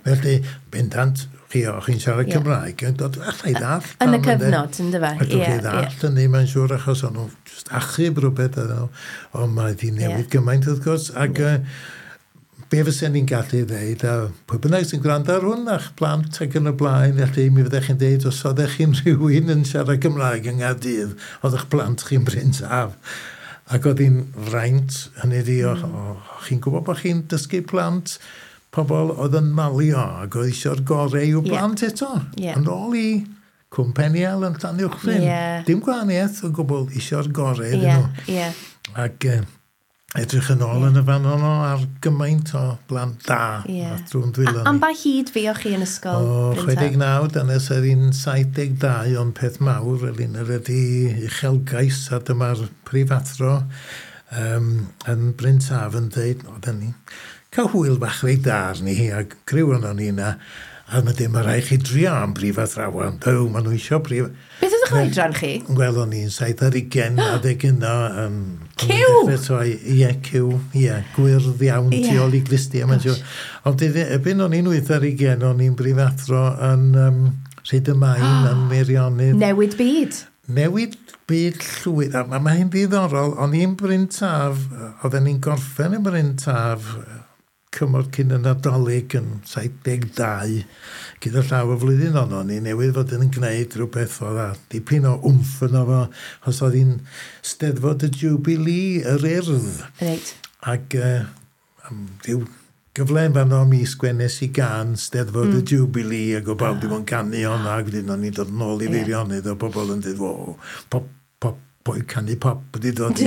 Felly, bendant, chi o chi'n siarad Cymraeg, yn dod, allai ddallt. Yn y cyfnod, yn dyfa? Allwch chi ddallt hynny, mae'n siŵr, achos o'n nhw just achub rhywbeth, ond mae wedi newid gymaint, wrth gwrs, ac be fysen ni'n gallu ddeud, a pwy bynnag sy'n gwrando ar hwn, a'ch plant ac yn y blaen, felly mi fyddech chi'n deud, os oeddech chi'n rhywun yn siarad Cymraeg yng Nghaerdydd, oedd eich plant chi'n Bryn Taf. Ac oedd hi'n fraint, hynny ydi, chi'n gwybod bod chi'n dysgu plant, pobl oedd yn malio ac oedd eisiau'r gorau i'w blant eto. Yn ôl i Cwm Peniel yn Llanuwchllyn. Dim gwahaniaeth o gwbl, eisiau'r gorau iddyn nhw. Ac edrych yn ôl yn y fan honno ar gymaint o blant da drwy'n dwylo ni. Am ba hyd fuoch chi yn ysgol? O, 69, dyna sydd hi'n 72, ond peth mawr, Elin, yr ydi uchelgais, a dyma'r prifathro yn Bryn Taf yn dweud, oedden ni cael hwyl bach reit dda arni hi, a criw o'n ni yna, a mae dim rhaid chi drio am brifathrawon. Dyw, maen nhw eisiau brif... Beth oedd eich oedran chi? Wel, o'n i'n 27 adeg yno. Cyw! Ie, cyw, ie, gwyrdd iawn, tu ôl i glustia, mae'n siŵr. Ond erbyn o'n i'n 28, o'n i'n brifathro yn Rhyd y Main, yn Meirionnydd. Newid byd. Newid byd llwyr. A mae hi'n ddiddorol, o'n i'n Bryn Taf, oedden ni'n gorffen yn Bryn Taf, cymor cyn y Nadolig yn 72, gyda llaw y flwyddyn honno, ni newydd fod yn gwneud rhywbeth oedd a dipyn o wmff yno fo, os oedd hi'n Steddfod y Jubilee, yr Urdd. Ac am ryw gyfle yn fanno mi sgwennes i gan Steddfod y Jubilee, ac o bawb ddim yn canu honna, ac wedyn o'n i'n dod nôl i Feirionnydd, o bobl yn dweud, wo, pop, pop, boi canu pop wedi dod i.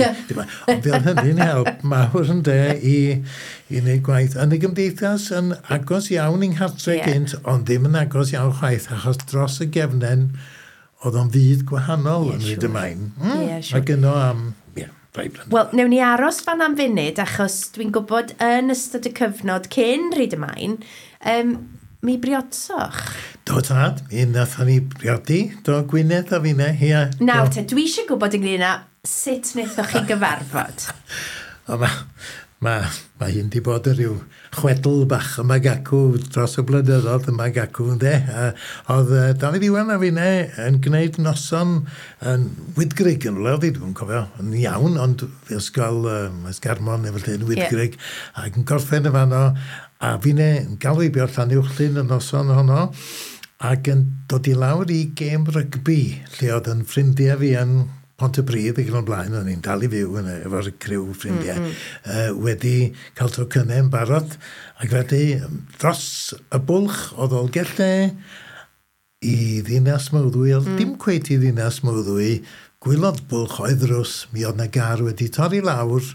Ond oedd hynny'n help mawr yn de i wneud gwaith. Yn y gymdeithas yn agos iawn i'n nghartre gynt, ond ddim yn agos iawn chwaith, achos dros y gefnen oedd o'n fyd gwahanol yn Rhyd y Main. Ac yno am, rai blynedd. Wel, newn ni aros fan am funud, achos dwi'n gwybod yn ystod y cyfnod cyn Rhyd y Main, mi briodsoch. Do tad, mi nathon ni briodi, do Gwyneth a finne, ia. Nawr te, dwi eisiau gwybod ynglyn â sut wnaethoch chi gyfarfod. O, mae hyn di bod yn rhyw chwedl bach yma gacw dros y blynyddoedd yma gacw, ynde. Oedd Dafydd Iwan a finne yn gwneud noson yn Wyddgrug yn rhywle, oedd hi, dwi'n cofio, yn iawn, ond ysgol Esgarmon neu felly yn Wyddgrug, ac yn gorffen y fanno, a finne yn galw i bio'r Llanuwchllyn y noson honno, ac yn dod i lawr i gêm rygbi, lle oedd yn ffrindiau fi yn Pontypridd ac yn o'r blaen, o'n i'n dal i fyw yn efo'r criw ffrindiau, wedi cael tocynnau yn barod, ac felly dros y bwlch o Ddolgellau i Ddinas Mawddwy, oedd dim cweit i Ddinas Mawddwy, gwaelod bwlch oedd ddrws, mi oedd na gar wedi torri lawr,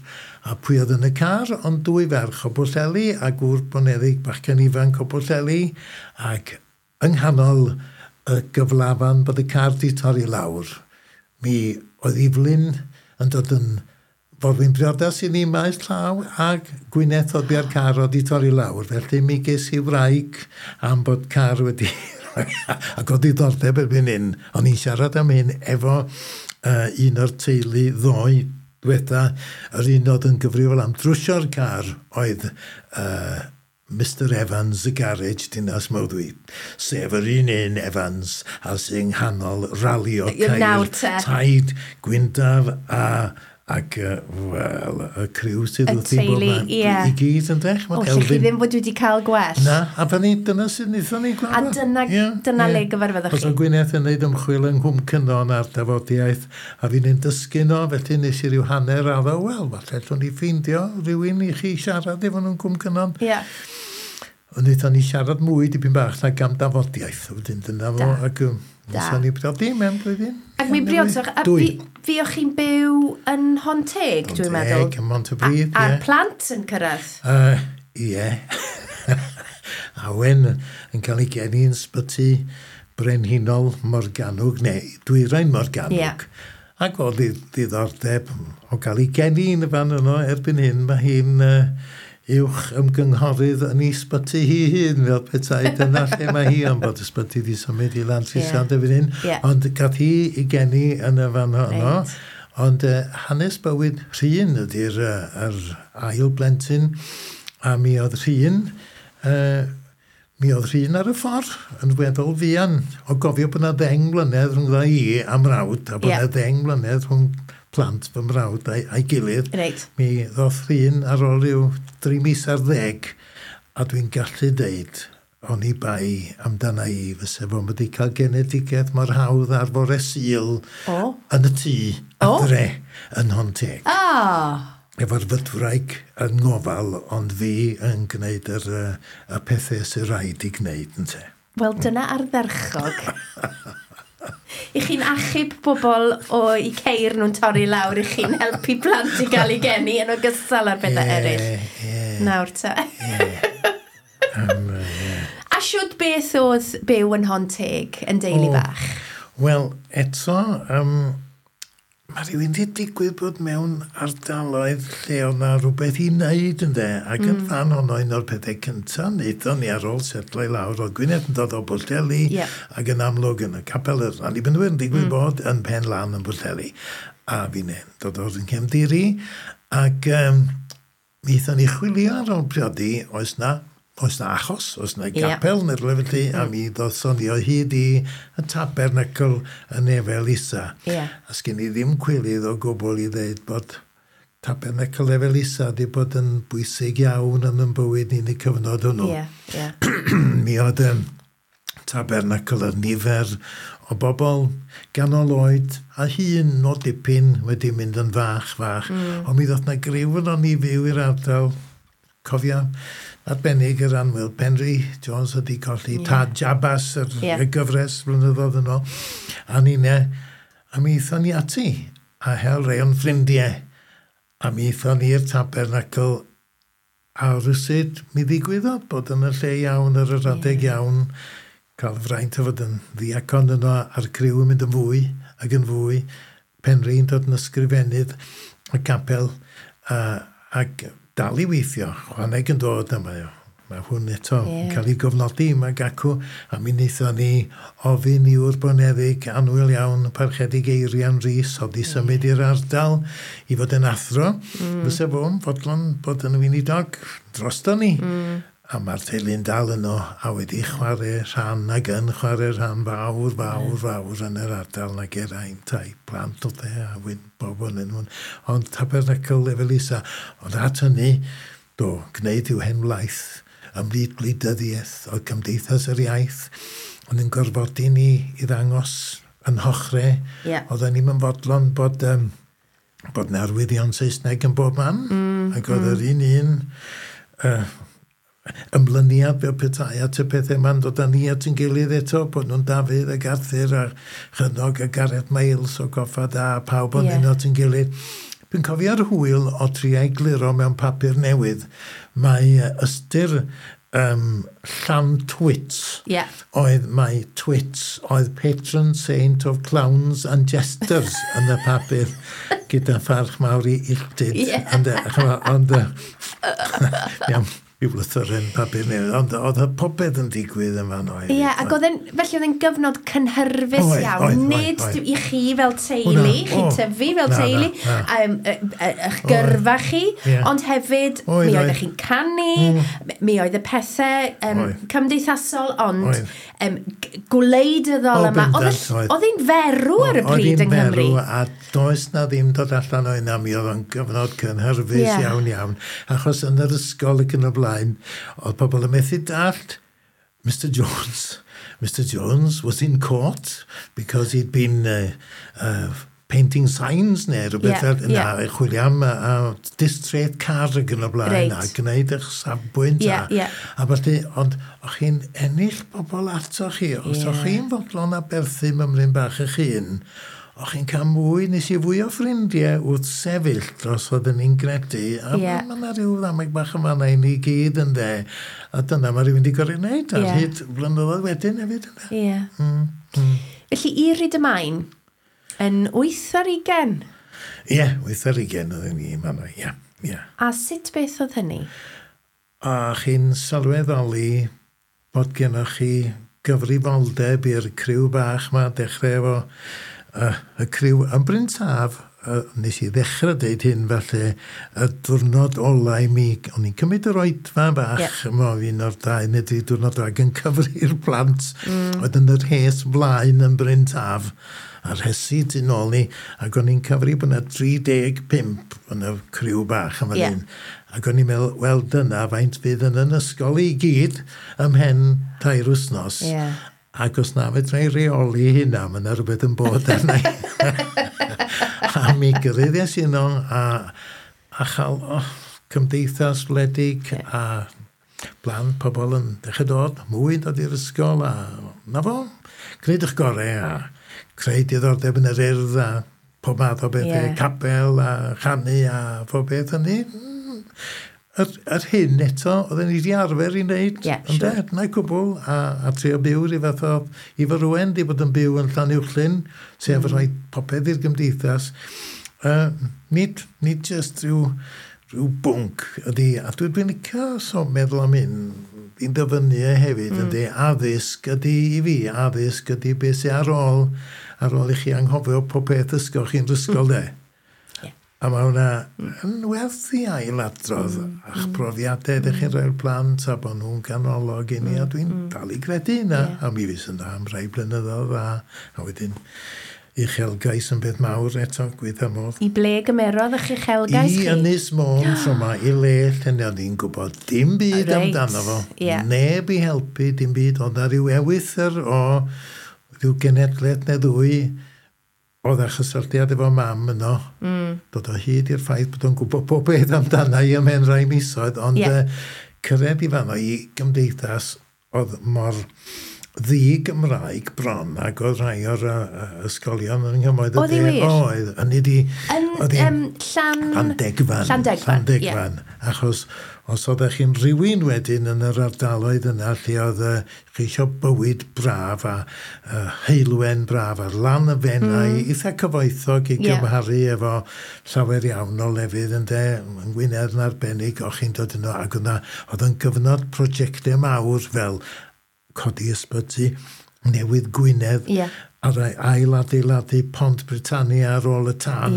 a pwy oedd yn y car, ond dwy ferch o Bwllheli a gŵr boneddig bachgen ifanc o Bwllheli, ac yng nghanol y gyflafan bod y car di torri lawr, mi oedd Evelyn yn dod yn forwyn briodas i ni maes llaw, ac Gwyneth oedd bia'r car oedd di torri lawr. Felly mi ges i wraig am bod car wedi... ac oedd diddordeb erbyn hyn. O'n i'n siarad am hyn efo un o'r teulu ddoe diwetha, yr un oedd yn gyfrifol am drwsio'r car oedd Mr Evans y garage Dinas Mawddwy, sef yr un un Evans a sy'n nghanol ralio Nawr ceir te. Taid, Gwyndaf ac wel, y criw sydd Y wrthi bob teulu, man. ie. I gyd yn dech. O, lle chi ddim fod wedi cael gwell. Na, a fan ni, dyna sydd wnaethon ni gweld. A dyna le gyfarfyddoch Os chi. oedd Gwyneth yn gwneud ymchwil yng Nghwm Cynon ar dafodiaeth, a fi'n ein dysgu nhw, felly nes i ryw hanner addo, wel, falle allwn ni ffeindio rhywun i chi siarad efo nhw'n Nghwm Cynon. Ond wnaethon ni siarad mwy dipyn bach nag am dafodiaeth. Wedyn dyna fo, ac wnaethon ni briodi mewn blwyddyn. Ac mi briodoch, a Dwy. fuoch chi'n byw yn Honteg, dwi'n meddwl. Honteg, ym Mhontypridd, A'r ie. plant yn cyrraedd? Ie. Awen yn cael ei geni yn Sbyty Brenhinol Morgannwg, neu Dwyrain Morgannwg. Ac oedd ddiddordeb o gael ei geni yn y fan yno. Erbyn hyn, mae hi'n uwch ymgynghorydd yn ei sbyty hi hun, fel petai. Dyna lle mae hi, ond bod y sbyty wedi symud i Lantrisant erbyn hyn. Ond gath hi ei geni yn y fan honno. Ond hanes bywyd Rhun ydy'r yr ail blentyn, a mi oedd Rhun ar y ffordd yn weddol fuan. O gofio bod yna 10 mlynedd rhwng i a mrawd, a bod yna 10 mlynedd rhwng plant fy mrawd a'i gilydd. Mi ddoth Rhun ar ôl rhyw 3 mis ar 10, a dwi'n gallu deud, oni bai amdana i, fysa fo'n wedi cael genedigaeth mor hawdd ar fore Sul yn y tŷ adre yn Nhonteg. Efo'r fydwraig yn ngofal, ond fi yn gwneud y pethau sy'n rhaid i gwneud, ynte. Wel, dyna ardderchog. I chi'n achub bobl o i ceir nhw'n torri lawr, i chi'n helpu plant i gael ei geni yn ogystal â'r pethau eraill. Ie. Nawr te. Ie. A siwd beth oedd byw yn Nhonteg yn deulu bach? Wel, eto, mae rhywun wedi digwydd bod mewn ardaloedd lle oedd na rhywbeth i wneud, ynde. Ac yn fan honno, un o'r pethau cyntaf wnaethon ni ar ôl setlo i lawr, oedd Gwyneth yn dod o Bwllheli ac yn amlwg yn y capel yr Annibynwyr yn digwydd bod yn Pen Lan yn Bwllheli. A fi'n dod o'r nghefndir i. Ac mi aethon ni chwilio ar ôl priodi, oes na achos, oes na gapel neu rhywle felly, a mi ddothon ni o hyd i y tabernacl yn Efel Isa. A sgen i ddim cwilydd o gwbl i ddeud bod tabernacl Efel Isa wedi bod yn bwysig iawn yn yn bywyd ni'n y cyfnod hwnnw. Ie, ie. Mi oedd y tabernacl yn nifer o bobl ganol oed a hun o dipyn wedi mynd yn fach fach. Ond mi ddoth na griw yno ni fyw i'r ardal. Cofio arbennig yr annwyl Penri Jones wedi colli Tad Jabas yr, y gyfres blynyddoedd yn ôl. A ninne, a mi aethon ni ati a hel rei o'n ffrindiau. A mi aethon ni i'r tabernacl a rywsut mi ddigwyddodd bod yn y lle iawn ar yr adeg iawn, cael y fraint o fod yn ddiacon yno a'r criw yn mynd yn fwy ac yn fwy. Penri'n dod yn ysgrifennydd y capel ac dal i weithio, chwaneg yn dod a mae hwn eto yn cael ei gofnodi yma gacw, a mi wnaethon ni ofyn i wr boneddig annwyl iawn, Parchedig Eirian Rhys, oedd i symud i'r ardal i fod yn athro. Fysa fo'n fodlon bod yn weinidog drosto ni. A mae'r teulu'n dal yno a wedi chwarae rhan ac yn chwarae rhan fawr, fawr, fawr yn yr ardal na Geraint a'i plant o dde a wyn bob yn nhw'n. Ond tabernacl Lefel Isa. Ond at hynny, do, gwneud i'w hen wlaeth ymhlith gwleidyddiaeth o Cymdeithas yr Iaith, ond yn gorfodi ni i ddangos yn hochrau. Oedden ni'n fodlon bod 'na arwyddion Saesneg yn bob man. Ac oedd yr un un ymlyniad fel petai at y pethau yma'n dod â ni at yn gilydd eto, bod nhw'n Dafydd ac Arthur a Chynog a Gareth Miles o Goffa Da, pawb o'n yeah. at yn gilydd. Dwi'n cofio'r hwyl o trio egluro mewn papur newydd mae ystyr Llantwit oedd mai Twits oedd patron saint of clowns and jesters yn y papur gyda pharch mawr i Illtyd. Ond, iawn, ryw lythyren papur newydd, ond oedd y popeth yn digwydd yn fan oedd. Ie, ac oedd yn, felly oedd yn gyfnod cynhyrfus iawn, nid oedd. I chi fel teulu, Hwnna, chi tyfu fel Na, teulu, na, na. eich gyrfa chi, ond hefyd Oedd, mi oeddech chi'n canu, mi oedd y pethau cymdeithasol, ond gwleidyddol yma. Oedd Bendant, oedd. Oedd hi'n ferw ar y Oedd pryd hi'n yng Nghymru. ferw, a does na ddim dod allan o yna, mi oedd o'n gyfnod cynhyrfus iawn iawn. Achos yn yr ysgol ac yn y blaen, oedd pobl yn methu dallt Mr Jones. Mr Jones was in court because he'd been painting signs neu rhywbeth fel yna, chwilio am distreth car ac yn y blaen, a gwneud eich safbwynt a felly, ond o'ch chi'n ennill pobl ato chi, os o'ch chi'n fodlon aberthu mymryn bach eich hun, O'ch chi'n cael mwy, nes i fwy o ffrindiau wrth sefyll dros oedden ni'n gredu. A mae yna rhyw ddameg bach yma na i ni gyd yn de. A dyna mae rhywun wedi gorau wneud ar hyd blynyddoedd wedyn hefyd. Ie. Yeah. Felly i Rhydymain, yn 8 ar 20? Ie, yeah, 8 ar 20 oedden ni yma, ie. Yeah. A sut beth oedd hynny? A chi'n sylweddoli bod gennych chi gyfrifoldeb i'r criw bach ma, dechrau efo y criw yn Bryn Taf, nes i ddechrau deud hyn felly, y diwrnod ola i mi, o'n i'n cymryd yr oedfa bach, yma un o'r 2 neu 3 diwrnod ag yn cyfri'r plant oedd yn yr rhes flaen yn Bryn Taf, a'r rhesi tu nôl ni, ac o'n i'n cyfri bod yna 35 yn y criw bach yma hyn. Ac o'n i'n meddwl, wel dyna faint fydd yn yn ysgol i gyd ymhen 3 wythnos. Ac os na fedra i reoli hynna, mae yna rhywbeth yn bod arna i. A mi gyrraeddes i yno a chael cymdeithas wledig a blant pobl yn dechrau dod, mwy yn dod i'r ysgol a na fo, gwneud eich gorau a creu diddordeb yn yr urdd a pob math o bethau, capel a chanu a pob beth hynny. Yr hyn eto, oedden ni wedi arfer i wneud. Ynde? Dyna cwbl, a trio byw rhyw fath o Ifor Owen di bod yn byw yn Llanuwchllyn, sef rhoi popeth i'r gymdeithas. Nid just rhyw bwnc ydy, a dwi'n licio so meddwl am hyn, fi'n dyfynnu e hefyd, ydy, addysg ydy i fi, addysg ydy beth sy'n ar ôl i chi anghofio pob peth ysgol chi'n ysgol de. A mae hwnna yn werth i ailadrodd a'ch profiadau ydych chi'n rhoi'r plant a bod nhw'n ganolog i ni, a dwi'n dal i gredu yna. A mi fys yna am rai blynyddoedd a wedyn uchelgais yn beth mawr eto, gweitha modd. I ble gymerodd eich uchelgais I chi? Ynys Môn tro 'ma, i le lle o'n i'n gwybod dim byd amdano fo. Neb i helpu, dim byd. Oedd na ryw ewythr o ryw genedlaeth neu ddwy oedd â chysylltiad efo mam yno. Dod o hyd i'r ffaith bod o'n gwybod pob beth amdana i ymhen rai misoedd, ond cyrraedd i fanno i gymdeithas oedd mor ddi-Gymraeg bron ac oedd rhai o'r ysgolion yng Nghymoedd y Oedd hi De. wir? Oedd, hynny di Yn oedd hi'n Llan Llandegfan. Llandegfan, ie. Llandegfan. Achos os oeddech chi'n rhywun wedyn yn yr ardaloedd yna lle oedd chi eisiau bywyd braf a heulwen braf ar lan y Fenai, eitha cyfoethog i gymharu efo llawer iawn o lefydd ynde, yng Ngwynedd yn arbennig, o'ch chi'n dod yno, ac yna oedd yn gyfnod prosiectau mawr fel codi ysbyty newydd Gwynedd, a'r ail-adeiladu Pont Britannia ar ôl y tân.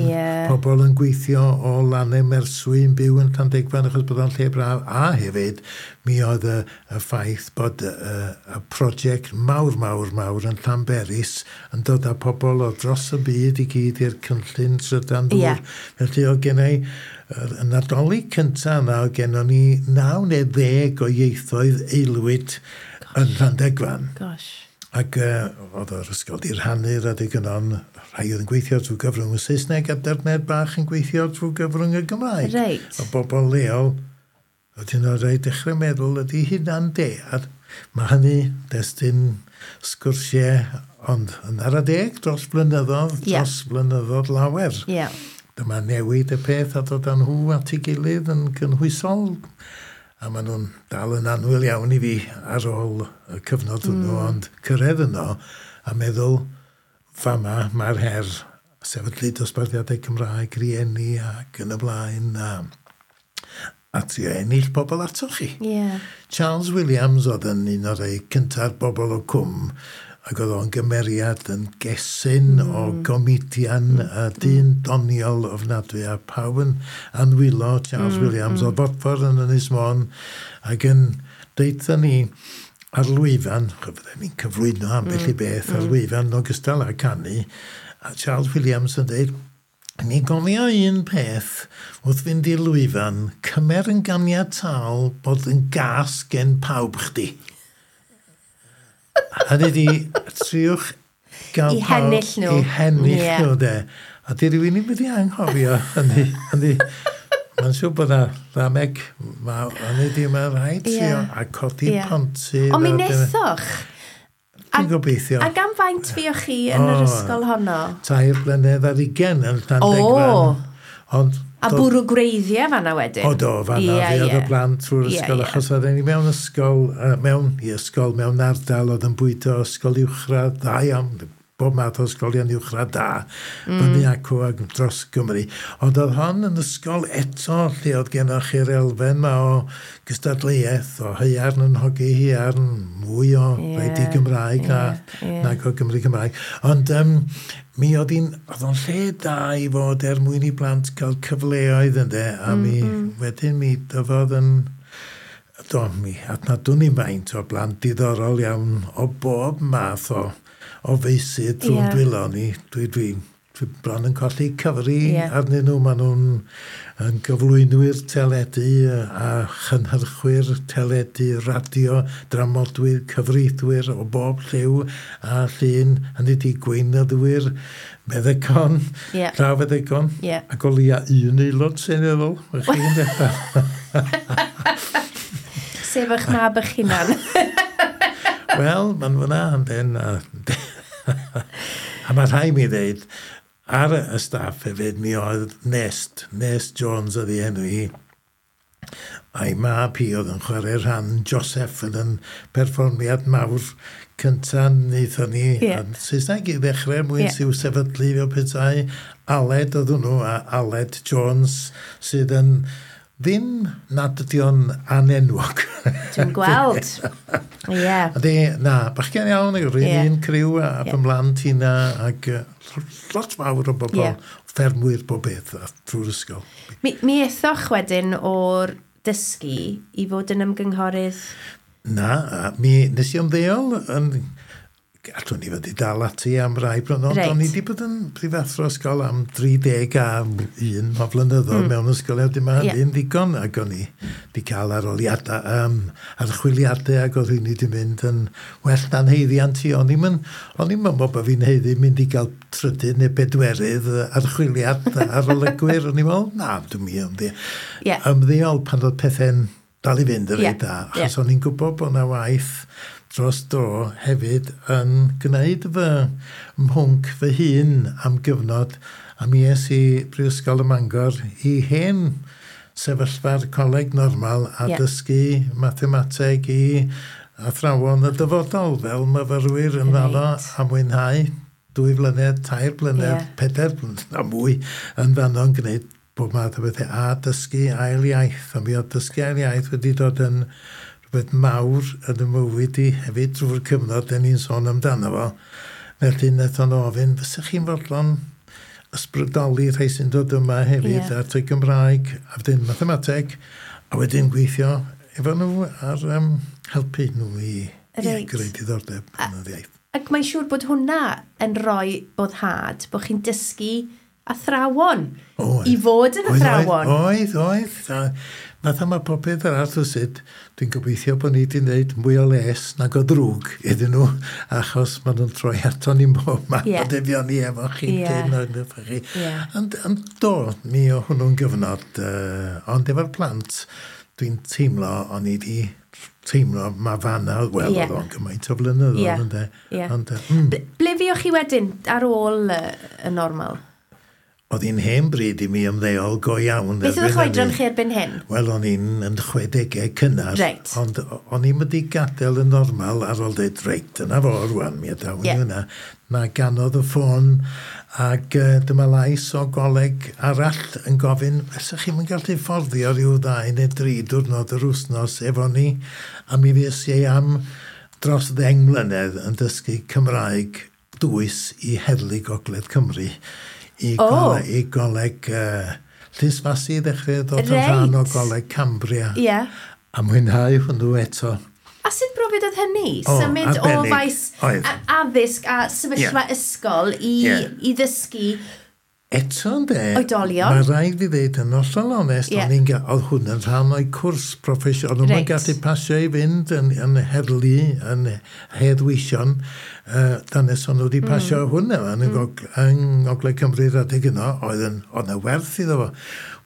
Pobl yn gweithio o Lannau Merswy yn byw yn Llandegfan achos bod o'n lle braf. A hefyd, mi oedd y ffaith bod y prosiect mawr, mawr, mawr yn Llanberis yn dod â pobl o dros y byd i gyd i'r cynllun trydan dŵr. Felly oedd gen i y Nadolig cyntaf yna, oedd gennon ni 9 neu 10 o ieithoedd aelwyd yn Llandegfan. Gosh. Ac oedd yr ysgol di rhannu'r adeg yno'n rhai oedd yn gweithio drwy gyfrwng y Saesneg a derned bach yn gweithio drwy gyfrwng y Gymraeg. O bobl leol, oedden nhw'n rhaid dechrau meddwl ydy hynna'n de. A mae hynny destun sgwrsiau, ond yn ara deg dros blynyddoedd, dros blynyddoedd lawer. Dyma newid y peth a dod â nhw at ei gilydd yn gynhwysol. A maen nhw'n dal yn annwyl iawn i fi ar ôl y cyfnod hwnnw, ond cyrraedd yno a meddwl, fama mae'r her sefydlu dosbarthiadau Cymraeg, rieni ac yn y blaen, a trio ennill pobl atoch chi. Charles Williams oedd yn un o'r rhai cynta'r bobl o cwm, ac oedd o'n gymeriad yn gesyn o gomedian, a dyn doniol ofnadwy, a pawb yn anwylo Charles Williams o Bodffordd yn Ynys Môn, ac yn deutha ni ar lwyfan, fydden ni'n cyflwyno ambell i beth ar lwyfan yn ogystal â canu, a Charles Williams yn dweud, "Ni gofio un peth wrth fynd i'r lwyfan, cymer yn ganiataol bod yn gas gen pawb chdi." Hynny di, triwch gael I hennill nhw. I hennill nhw, de. A di rhywun ddim wedi anghofio hynny. Hynny, mae'n siŵr bod na ddameg, hynny di, mae'n rhaid trio a codi pontydd. Ond mi nethoch. Dwi'n gobeithio. A gan faint fuoch chi yn yr ysgol honno? 3 blynedd ar 20 yn Llandegfan. Ond, a bwrw gwreiddiau fanna wedyn? O do, fanna yeah, fi oedd y plant trwy'r ysgol, achos oedden ni mewn ysgol, mewn ysgol, mewn ardal oedd yn bwydo ysgol uwchradd, dda iawn, bob math o ysgolion uwchradd da, fyny acw ac dros Gymru. Ond oedd hon yn ysgol eto lle oedd gennych chi'r elfen ma o gystadleuaeth, o haearn yn hogi haearn, mwy o rhaid i Gymraeg nag o Gymru Cymraeg. Ond mi oedd hi'n, oedd o'n lle da i fod er mwyn i blant cael cyfleoedd ynde, a mi wedyn mi dyfodd yn... Do, mi adnadwn i faint o blant diddorol iawn o bob math o feysydd drwy'n dwylo ni. Dwi bron yn colli cyfri arnyn nhw. Maen nhw'n yn gyflwynwyr teledu a chynhyrchwyr teledu, radio, dramodwyr, cyfreithwyr o bob lliw a llun, hynny di gweinyddwyr, meddygon, llawfeddygon, ac o leia un aelod seneddol. Chi'n dechrau. Sef eich mab eich hunan. Wel, ma'n fyna, yndyn. A mae rhaid mi ddeud, ar y staff hefyd, mi oedd Nest Jones oedd ei enw hi. A'i mab hi oedd yn chwarae rhan Joseph yn yn perfformiad mawr cyntaf wnaethon ni. Yn Saesneg i ddechrau, mwyn sy'w sefydlu fel petai. Aled oedd hwnnw, a Aled Jones sydd yn ddim nad ydi o'n anenwog. Dwi'n gweld. Ie. Ydy, na, bachgen iawn, ag yr un criw a fy mhlant hynna, ac lot fawr o bobl, ffermwyr bob beth trwy'r ysgol. Mi ethoch wedyn o'r dysgu i fod yn ymgynghorydd? Na, mi nes i ymddeol yn... Allwn ni fod i dal ati am rai blynyddoedd, ond o'n i wedi bod yn prifathro ysgol am 31 o flynyddoedd mewn ysgol, a dim hynny'n ddigon, ac o'n i wedi cael arholiadau, archwiliadau, ac oedd hynny wedi mynd yn well na'n haeddiant i. O'n i'm yn meddwl bod fi'n haeddu mynd i gael trydydd neu bedwerydd archwiliad arolygwyr. O'n i'n meddwl, na, dwi'n mynd ymddeol pan oedd pethau'n dal i fynd yn reit dda, achos o'n i'n gwybod bod 'na waith dros dro hefyd yn gwneud fy mhwnc fy hun am gyfnod, a mi es i Brifysgol y Mangor i hen sefyllfa'r coleg normal a dysgu mathemateg i athrawon y dyfodol fel myfyrwyr yn fanno a mwynhau 2 blynedd, 3 blynedd, 4 blynedd a mwy yn fanno yn gwneud bob math o bethau a dysgu ail iaith. A mi oedd dysgu ail iaith wedi dod yn rhywbeth mawr yn y mywyd i hefyd drwy'r cyfnod dan ni'n sôn amdano fo. Felly wnaethon nhw ofyn, fysech chi'n fodlon ysbrydoli rhai sy'n dod yma hefyd at y Gymraeg, a wedyn mathemateg, a wedyn gweithio efo nhw ar helpu nhw i greu diddordeb yn yr iaith. Ac mae'n siŵr bod hwnna yn rhoi boddhad, bod chi'n dysgu athrawon i fod yn athrawon. Oedd. Fatha mae popeth arall o sut, dwi'n gobeithio bod ni wedi gwneud mwy o les nag o ddrwg iddyn nhw, achos maen nhw'n troi ato ni'n bob man, a defion ni efo chi, chi. Ond do, mi o hwnnw'n gyfnod, ond efo'r plant, dwi'n teimlo, o'n i wedi teimlo ma fanna, wel, oedd o'n gymaint o flynyddoedd, ynde. Ond, Ble fuoch chi wedyn ar ôl y normal? Oedd hi'n hen bryd i mi ymddeol go iawn. Beth oedd eich oedran chi erbyn hyn? Wel, o'n i'n yn 60au cynnar. Ond o'n i'n wedi gadael yn normal ar ôl dweud, reit, dyna fo rwan, mi adawn i hwnna. Na ganodd y ffôn ac dyma lais o goleg arall yn gofyn, fysa chi'm yn gallu fforddio rhyw 2 neu 3 diwrnod yr wythnos efo ni? A mi fues i am dros 10 mlynedd yn dysgu Cymraeg dwys i Heddlu Gogledd Cymru. I goleg Llysfasi ddechrau dod yn rhan o goleg Cambria. A mwynhau hwnnw eto. A sut brofiad oedd hynny? Symud o faes addysg a sefyllfa ysgol i ddysgu Eto ynde, oedolion. Mae rhaid i ddeud yn hollol onest, oedd hwn yn rhan o'i cwrs proffesiynol. O'n nhw'n gallu pasio i fynd yn heddlu, yn heddweision, dan nes o'n nhw wedi pasio hwn yma yn Ngogledd Cymru adeg yno, oedd yna werth iddo fo.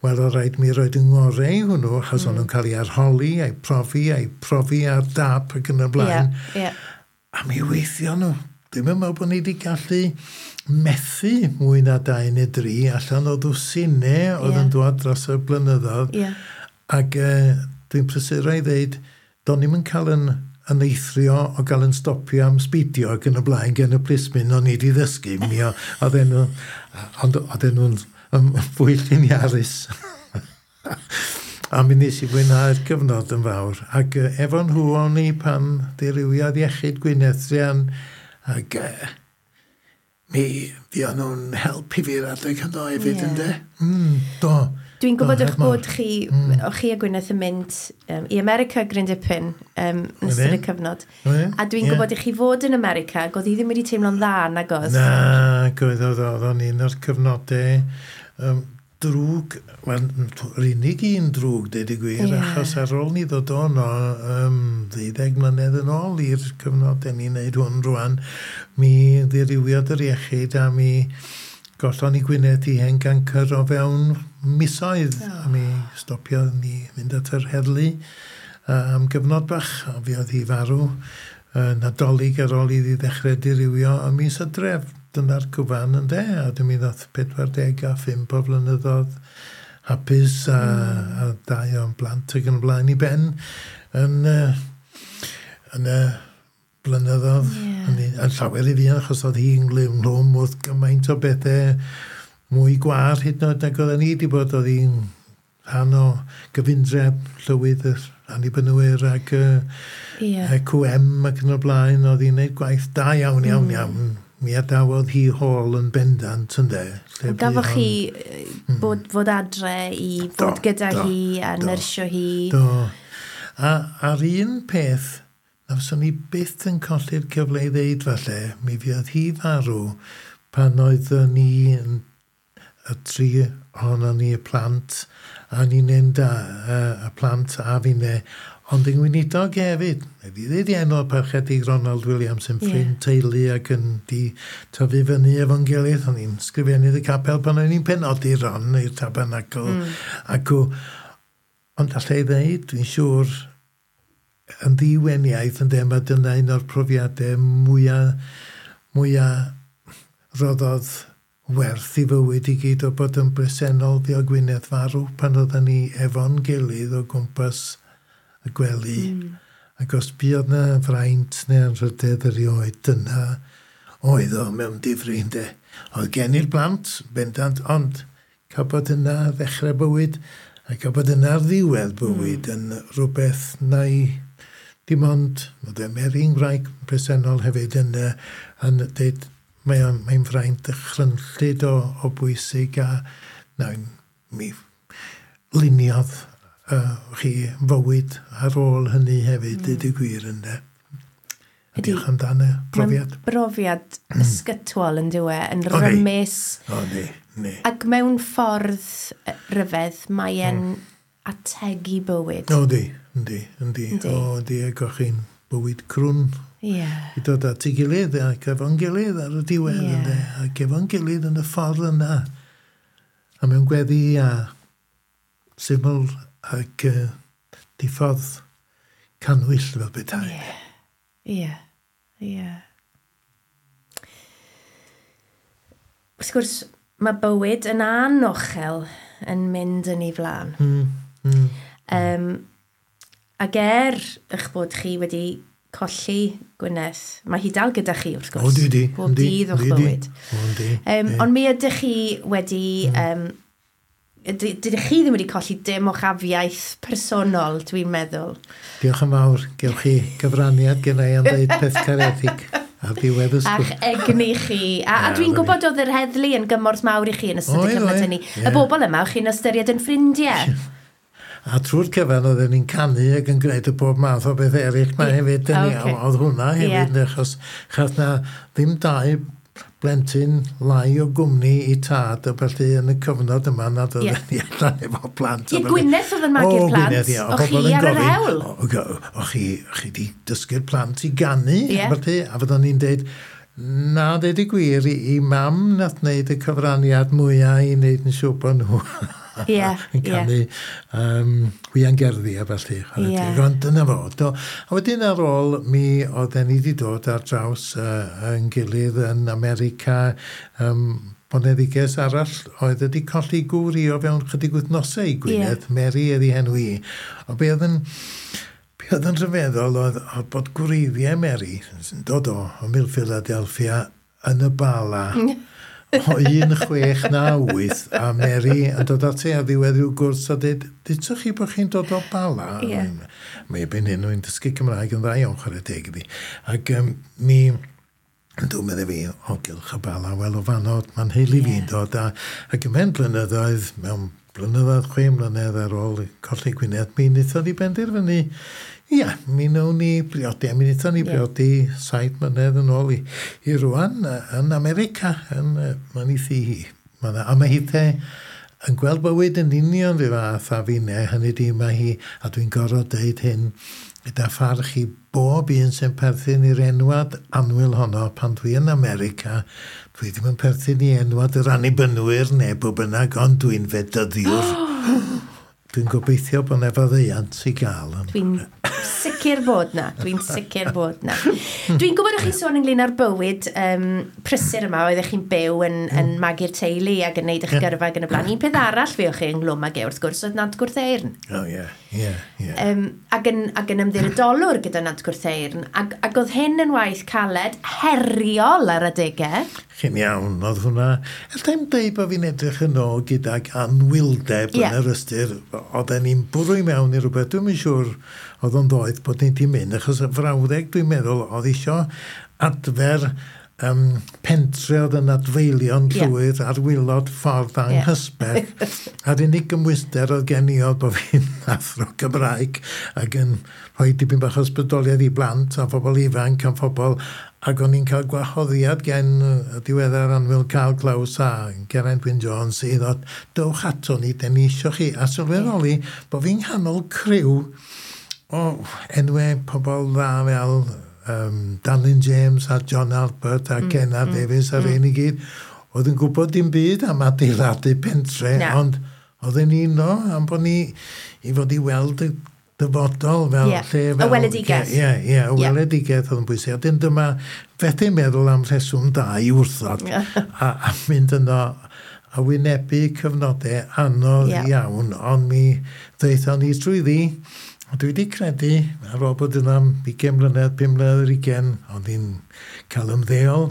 Wel, oedd rhaid mi roed yng ngorau i hwnnw, achos o'n nhw'n cael ei arholi, a'i profi ar dap ac yn y blaen. A mi weithio nhw. Dwi'm yn meddwl bod ni wedi gallu methu mwy na 2 neu 3 allan o ddwsinau oedd yn dod dros y blynyddoedd. Ac dwi'n prysuro i ddeud, do'n i'm yn cael yn eithrio o gael yn stopio am sbidio ac yn y blaen gen y plismyn o'n i wedi ddysgu. Mi oedden nhw, ond oedden nhw'n fwy lliniarus. A mi nes i fwynhau'r cyfnod yn fawr. Ac efo nhw o'n i pan dirywiodd iechyd Gwyneth druan, ac mi fuon nhw'n helpu fi'r adeg hwnnw hefyd, ynde? Do. Dwi'n gwybod eich bod chi, o'ch chi a Gwyneth yn mynd i America gryn dipyn yn ystod y cyfnod. A dwi'n gwybod i chi fod yn America, ac oedd hi ddim wedi teimlo'n dda, nag oedd? Na, oedd o'n un o'r cyfnodau drwg, wel, yr unig un drwg, deud y gwir, achos ar ôl ni ddod ono 12 mlynedd yn ôl i'r cyfnod den ni'n neud hwn rwan, mi ddirywiodd yr iechyd a mi gollon ni Gwyneth i hen gancr o fewn misoedd. A mi stopiodd ni fynd at yr heddlu am gyfnod bach, a fi oedd hi farw Nadolig ar ôl iddi ddechrau dirywio ym mis Hydref. Dyna'r cyfan ynde, a dwi'n mi ddoth 45 o flynyddoedd hapus a 2 o'n blant ac yn y blaen i ben yn y blynyddoedd. Yn llawer i fi, achos oedd hi'n ynghlwm wrth gymaint o bethau mwy gwar hyd yn oed nag oedden ni wedi bod. Oedd hi'n rhan o gyfundreb llywydd yr Annibynwyr ac QM ac yn y blaen. Oedd hi'n gwneud gwaith da iawn, iawn, iawn. Mi adawodd hi hôl yn bendant, ynde. Gafoch chi bod adre i fod gyda hi a nyrsio hi? Do. A ar un peth, na fyswn i byth yn colli'r cyfle i ddeud falle, mi fuodd hi farw pan oeddwn ni y tri ohonon ni, y plant, a ni'n enda y plant a finne, ond yn gweinidog hefyd. Wedi ddeud i enw Parchedig Ronald Williams yn ffrind teulu ac yn di tyfu fyny efo'n gilydd. O'n i'n sgrifennydd y capel pan o'n i'n penodi Ron i'r tabernacl. Ond allai ddeud, dwi'n siŵr, yn ddiweniaeth yn mae dyna un o'r profiadau mwyaf roddodd werth i fywyd i gyd o bod yn bresennol fuo Gwyneth farw pan oedden ni efo'n gilydd o gwmpas y gwely. Ac os buodd na fraint neu anrhydedd erioed, dyna oedd o mewn difri, ynde. Oedd gen i'r plant, bendant, ond cael bod yna ddechrau bywyd a cael bod yna ar ddiwedd bywyd yn rhywbeth na i dim ond, oedd e Mary'n wraig presennol hefyd yn dweud, mae'n fraint dychrynllyd o bwysig a na, mi luniodd chi fywyd ar ôl hynny hefyd, dweud y gwir ynde. Diolch amdano profiad. Mae'n brofiad ysgytwol yn dyw e, yn rymus. O, ni. Ac mewn ffordd ryfedd, mae'n ategu bywyd. O, di, yndi. O, di, ac o'ch chi'n bywyd crwn. I dod at ei gilydd ac efo'n gilydd ar y diwedd, ynde, ac efo'n gilydd yn y ffordd yna. A mewn gweddi a syml ac diffodd cannwyll fel petai. Ie. Wrth gwrs, mae bywyd yn anochel yn mynd yn ei flaen. Ac eich bod chi wedi colli Gwyneth, mae hi dal gyda chi wrth gwrs. O, di. Bob dydd o'ch bywyd. Ond mi ydych chi wedi... Dydych chi ddim wedi colli dim o'ch afiaith personol, dwi'n meddwl. Diolch yn fawr. Gewch chi gyfraniad gen i am ddeud peth caredig ar ddiwedd y sgwrs. A'ch egni chi. A dwi'n gwybod oedd yr heddlu yn gymorth mawr i chi yn ystod y cyfnod hynny. Y bobl yma, o'ch chi'n ystyried yn ffrindiau. A trwy'r cyfan oedden ni'n canu ac yn gwneud y bob math o beth eraill mae hefyd. Oedd hwnna hefyd, achos chas na ddim dau blentyn lai o gwmni i tad a felly yn y cyfnod yma nad oedden ni allan efo plant. Ie, Gwyneth oedd yn magu'r plant. Gwyneth, ie. O chi ar yr hewl. O chi di dysgu'r plant i ganu. Felly, a fyddwn ni'n deud, na, deud y gwir, i mam nath wneud y cyfraniad mwyaf i wneud yn siŵr bod nhw Yn canu hwiangerddi a felly. Ond dyna fo. Do. A wedyn ar ôl, mi oedden ni wedi dod ar draws yn gilydd yn America, boneddiges arall oedd wedi colli gŵr i o fewn chydig wythnosau i Gwynedd, Mary oedd ei henw i. O be oedd yn rhyfeddol oedd bod gwreiddiau Mary, sy'n dod o Mil Philadelphia, yn y Bala, o 1698, a Mary yn dod ati ar ddiwedd rhyw gwrs a dweud, "Dudsoch chi bod chi'n dod o Bala?" Mae erbyn hyn, rwy'n dysgu Cymraeg yn dda iawn, chwarae teg iddi. Ac mi, dwi'n meddwl fi, o gylch y Bala, wel o fanno, mae'n nheulu fi'n dod. Ac ymhen blynyddoedd, mewn blynyddoedd, 6 mlynedd ar ôl colli Gwynedd, mi wnaethon ni benderfynu, ia, mi wnawn ni briodi, a mi wnaethon ni briodi 7 mlynedd yn ôl i rwan yn America, yn mae'n ei thŷ hi. A mae hithe yn gweld bywyd yn union rhyw fath a finne, hynny di mae hi, a dwi'n gorfod deud hyn, gyda pharch i bob un sy'n perthyn i'r enwad annwyl honno pan dwi yn America, dwi ddim yn perthyn i enwad yr Annibynwyr neu bwy bynnag, ond dwi'n fedyddiwr. Dwi'n gobeithio bod 'na faddeuant i gael. Dwi'n sicr bod na. Dwi'n sicr bod na. Dwi'n gwybod o'ch chi'n sôn ynglyn â'r bywyd prysur yma, oeddech chi'n byw yn magu'r teulu ac yn neud eich gyrfa ac yn y blaen. Un peth arall fi o'ch chi ynghlwm ag e, wrth gwrs, oedd Nant Gwrtheyrn. O, ie. Ac yn ymddiriedolwr gyda Nant Gwrtheyrn. Ac oedd hyn yn waith caled, heriol ar adegau. Chi'n iawn, oedd hwnna. Alla i'm deud bod fi'n edrych yn ôl gydag anwyldeb yn yr ystyr, oedden ni'n bwrw i mewn i rhywbeth, dwi'm yn siŵr oedd o'n ddoeth bod ni'n di mynd, achos y frawddeg dwi'n meddwl oedd isio adfer pentre oedd yn adfeilio'n llwyr ar waelod ffordd anghysbell. A'r unig gymwyster oedd gen i oedd bod fi'n athro Cymraeg ac yn rhoi dipyn bach o ysbrydoliaeth i blant a phobl ifanc a phobl, ac o'n i'n cael gwahoddiad gen y diweddar annwyl Carl Klaus a Geraint Wyn Jones i ddod, "Dowch ato ni, den ni isio chi," a sylweddoli bod fi'n nghanol criw o enwau pobl dda fel Danlyn James a John Albert a Ken Davies a rhein i gyd, oedd yn gwybod dim byd am adeiladu pentre, Na. ond oedden ni yno am bod ni i fod i weld y dyfodol fel lle Y fel weledigaeth. Ie, y weledigaeth oedd yn bwysig. A dyn dyma fethu meddwl am rheswm da i wrthod a mynd yno a wynebu cyfnodau anodd iawn, ond mi ddaethon ni trwyddi. A dwi wedi credu, ar ôl bod yna am 20 mlynedd, 5 mlynedd ar 20, ond i'n cael ymddeol,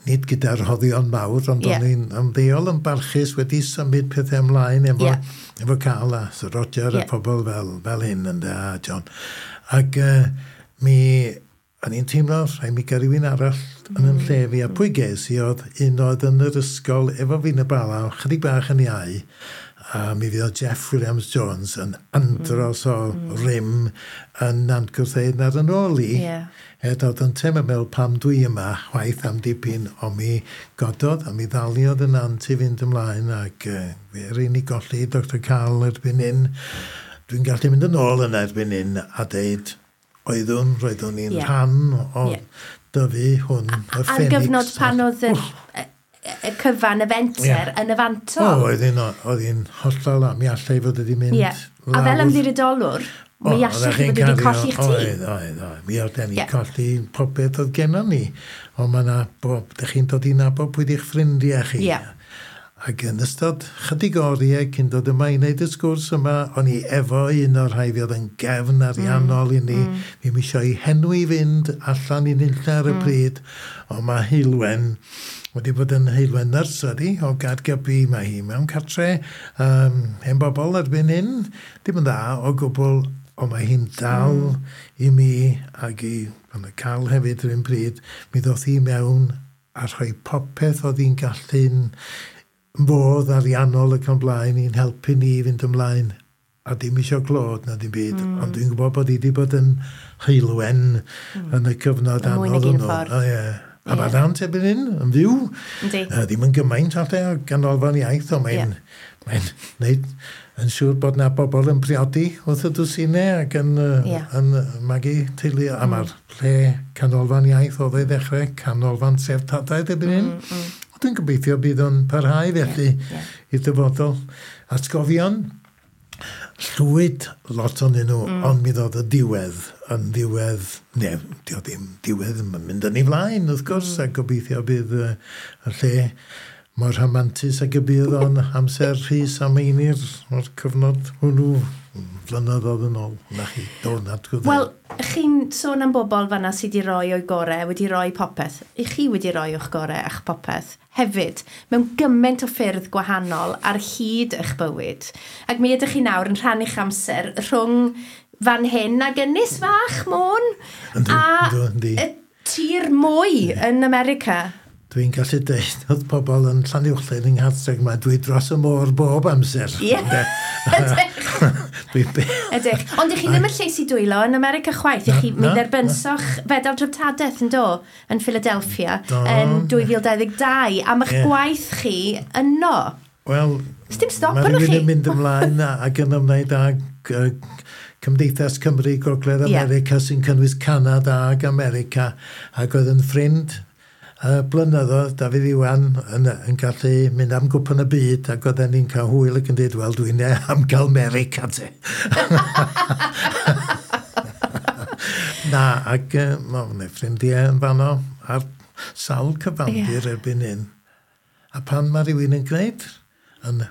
nid gyda'r rhoddion mawr, ond o'n i'n ymddeol yn barchus, wedi symud pethau ymlaen efo Carl a Sir Roger a pobl fel hyn ynde, a John. Ac mi o'n i'n teimlo, rhaid mi gael rhywun arall yn yn lle fi, a pwy ges i oedd un oedd yn yr ysgol efo fi'n y Bala, chydig bach yn iau, a mi fydd Jeff Williams Jones yn andros o rym yn Nant Gwrtheyrn ar yn ôl i. Er oedd yn teimlo meddwl pam dwi yma, chwaith am dipyn, ond mi gododd a mi ddaliodd y nant i fynd ymlaen ac fe yr unig golli Dr Carl erbyn hyn. Dwi'n gallu mynd yn ôl yna erbyn hyn a deud roeddwn i'n rhan o dyfu hwn, y Ar Ffenix. gyfnod pan oedd y cyfan, y fenter yn y fantol. O, oedd hi'n hollol am, mi allai fod wedi mynd A fel lawr. ymddiriedolwr, mi O, allech oeddech chi chi'n fod wedi cario- colli'ch tŷ. Oedd. Mi oedden ni colli popeth oedd gennon ni. Ond mae yna bob, dych chi'n dod i nabod pwy di'ch ffrindiau chi. Ac yn ystod chydig oriau cyn dod yma i wneud y sgwrs yma, o'n i efo un o'r rhai fi oedd yn gefn ariannol i ni. Fi'm isio i henw i fynd allan i nunlla ar y pryd, ond mae Heulwen wedi bod yn Heulwen Nursery o Gaergybi. Mae hi mewn cartre hen bobl erbyn hyn. Dim yn dda o gwbl, ond mae hi'n dal i mi ac i yn y cael hefyd yr un pryd. Mi ddoth hi mewn a rhoi popeth oedd hi'n gallu'n fodd ariannol ac yn blaen i'n helpu ni i fynd ymlaen, a dim isio clod na dim byd, ond dwi'n gwybod bod hi wedi bod yn heulwen yn y cyfnod Yn mwy nag anodd un hwnnw. ffordd. O, ie. A mae Nant erbyn hyn yn fyw. Ddim yn gymaint falle o ganolfan iaith, ond mae'n mae neud yn siŵr bod na bobl yn priodi wrth y dwsinau ac yn, yn magu teulu. A mae'r lle canolfan iaith oedd ei ddechrau, canolfan treftadaeth erbyn hyn. Dwi'n gobeithio bydd o'n parhau felly i'r dyfodol. Atgofion, llwyd lot onyn nhw, ond mi ddod y diwedd yn ddiwedd, ne, dio ddim diwedd, mae'n mynd yn ei flaen, wrth gwrs, a gobeithio bydd y lle mor rhamantus ag y bydd o'n amser Rhys a Meinir o'r cyfnod hwnnw flynyddoedd yn ôl. Na chi, do, na. Wel, chi'n sôn am bobl fanna sydd wedi rhoi o'i gorau, wedi rhoi popeth. I chi wedi rhoi o'ch gorau a'ch popeth hefyd, mewn gymaint o ffyrdd gwahanol ar hyd eich bywyd. Ac mi ydych chi nawr yn rhannu'ch amser rhwng fan hyn ag Ynys Fach Môn a y tir mwy yn America. Dwi'n gallu deud oedd pobl yn Llanuwchllyn yng Nghartreg yma, dwi dros y môr bob amser. Ie, ydych. Ydych. Ond ych chi ddim yn lleis i dwylo yn America chwaith. Ych chi, mi dderbynsoch fedal dreftadaeth yn do, yn Philadelphia yn 2022, am eich gwaith chi yno. Wel, dim stop arnoch chi. Mae rhywun yn mynd ymlaen ac yn ymwneud â Cymdeithas Cymru Gogledd America sy'n cynnwys Canada ac America, ac oedd yn ffrind blynyddoedd, Dafydd Iwan yn gallu mynd am gwpan y byd, ac oedden ni'n cael hwyl ac yn dweud, wel, dwi'n am gael America te. Na, ac mae ffrindiau yn fanno ar sawl cyfandir erbyn hyn. A pan mae rhywun yn gwneud, yn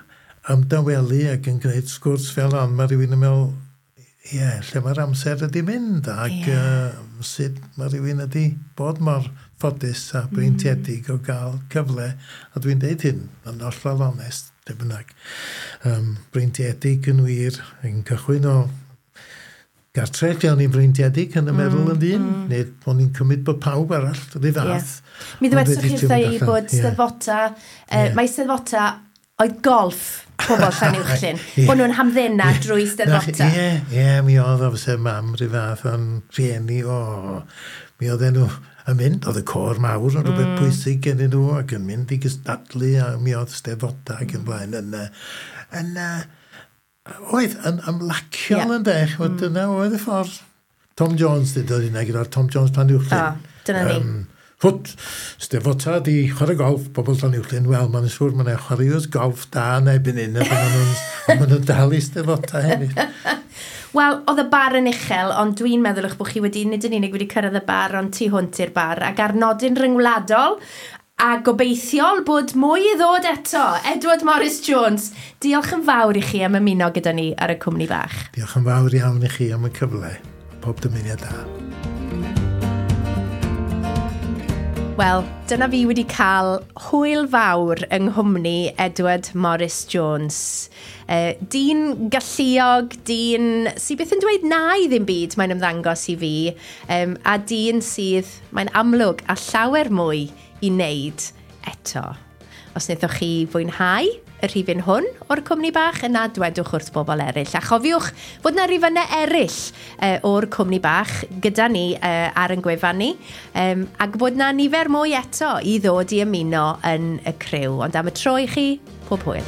ymdawelu ac yn gwneud sgwrs fel hon, mae rhywun yn meddwl, ie, lle mae'r amser ydi mynd, ac sut mae rhywun ydi bod mor ffodus a breintiedig o gael cyfle, a dwi'n deud hyn yn hollol onest, lle bynnag, breintiedig yn wir, yn cychwyn o gartre lle o'n i'n freintiedig yn y meddwl yn ddyn, neu o'n i'n cymryd bod pawb arall rhy fath. Mi ddwedsoch chi wrtha i bod Steddfota, mae Steddfota oedd golff pobl Llanuwchllyn, bod nhw'n hamddena drwy Steddfota. Ie, mi oedd o fyse mam rhy fath o'n rhieni, mi oedden nhw yn mynd, oedd y côr mawr yn rhywbeth pwysig gennyn nhw, ac yn mynd i gystadlu, a mi oedd Steddfota ac yn blaen yn oedd yn ymlaciol yn dech, dyna oedd y ffordd. Tom Jones dweud hynna gyda'r Tom Jones Llanuwchllyn. Dyna ni. Hwt, Steddfota di chwarae golff, bobl Llanuwchllyn, wel, mae'n siŵr mae'n chwaraewyr golff da yn erbyn hyn, a maen nhw'n dal i Steddfota hefyd. Wel, oedd y bar yn uchel, ond dwi'n meddwl eich bod chi wedi, nid yn unig wedi cyrraedd y bar, ond tu hwnt i'r bar, ac ar nodyn ryngwladol, a gobeithiol bod mwy i ddod eto. Edward Morris Jones, diolch yn fawr i chi am ymuno gyda ni ar y cwmni bach. Diolch yn fawr iawn i chi am y cyfle. Pob dymuniad da. Wel, dyna fi wedi cael hwyl fawr yng nghwmni Edward Morris Jones. Dyn galluog, dyn sydd byth yn dweud na i ddim byd mae'n ymddangos i fi, a dyn sydd, mae'n amlwg, a llawer mwy i wneud eto. Os wnaethoch chi fwynhau y rhifyn hwn o'r cwmni bach, yna dwedwch wrth bobl eraill. A chofiwch fod na rifynnau eraill o'r cwmni bach gyda ni ar ein gwefan ni, ac bod na nifer mwy eto i ddod i ymuno yn y criw. Ond am y tro i chi, pob hwyl.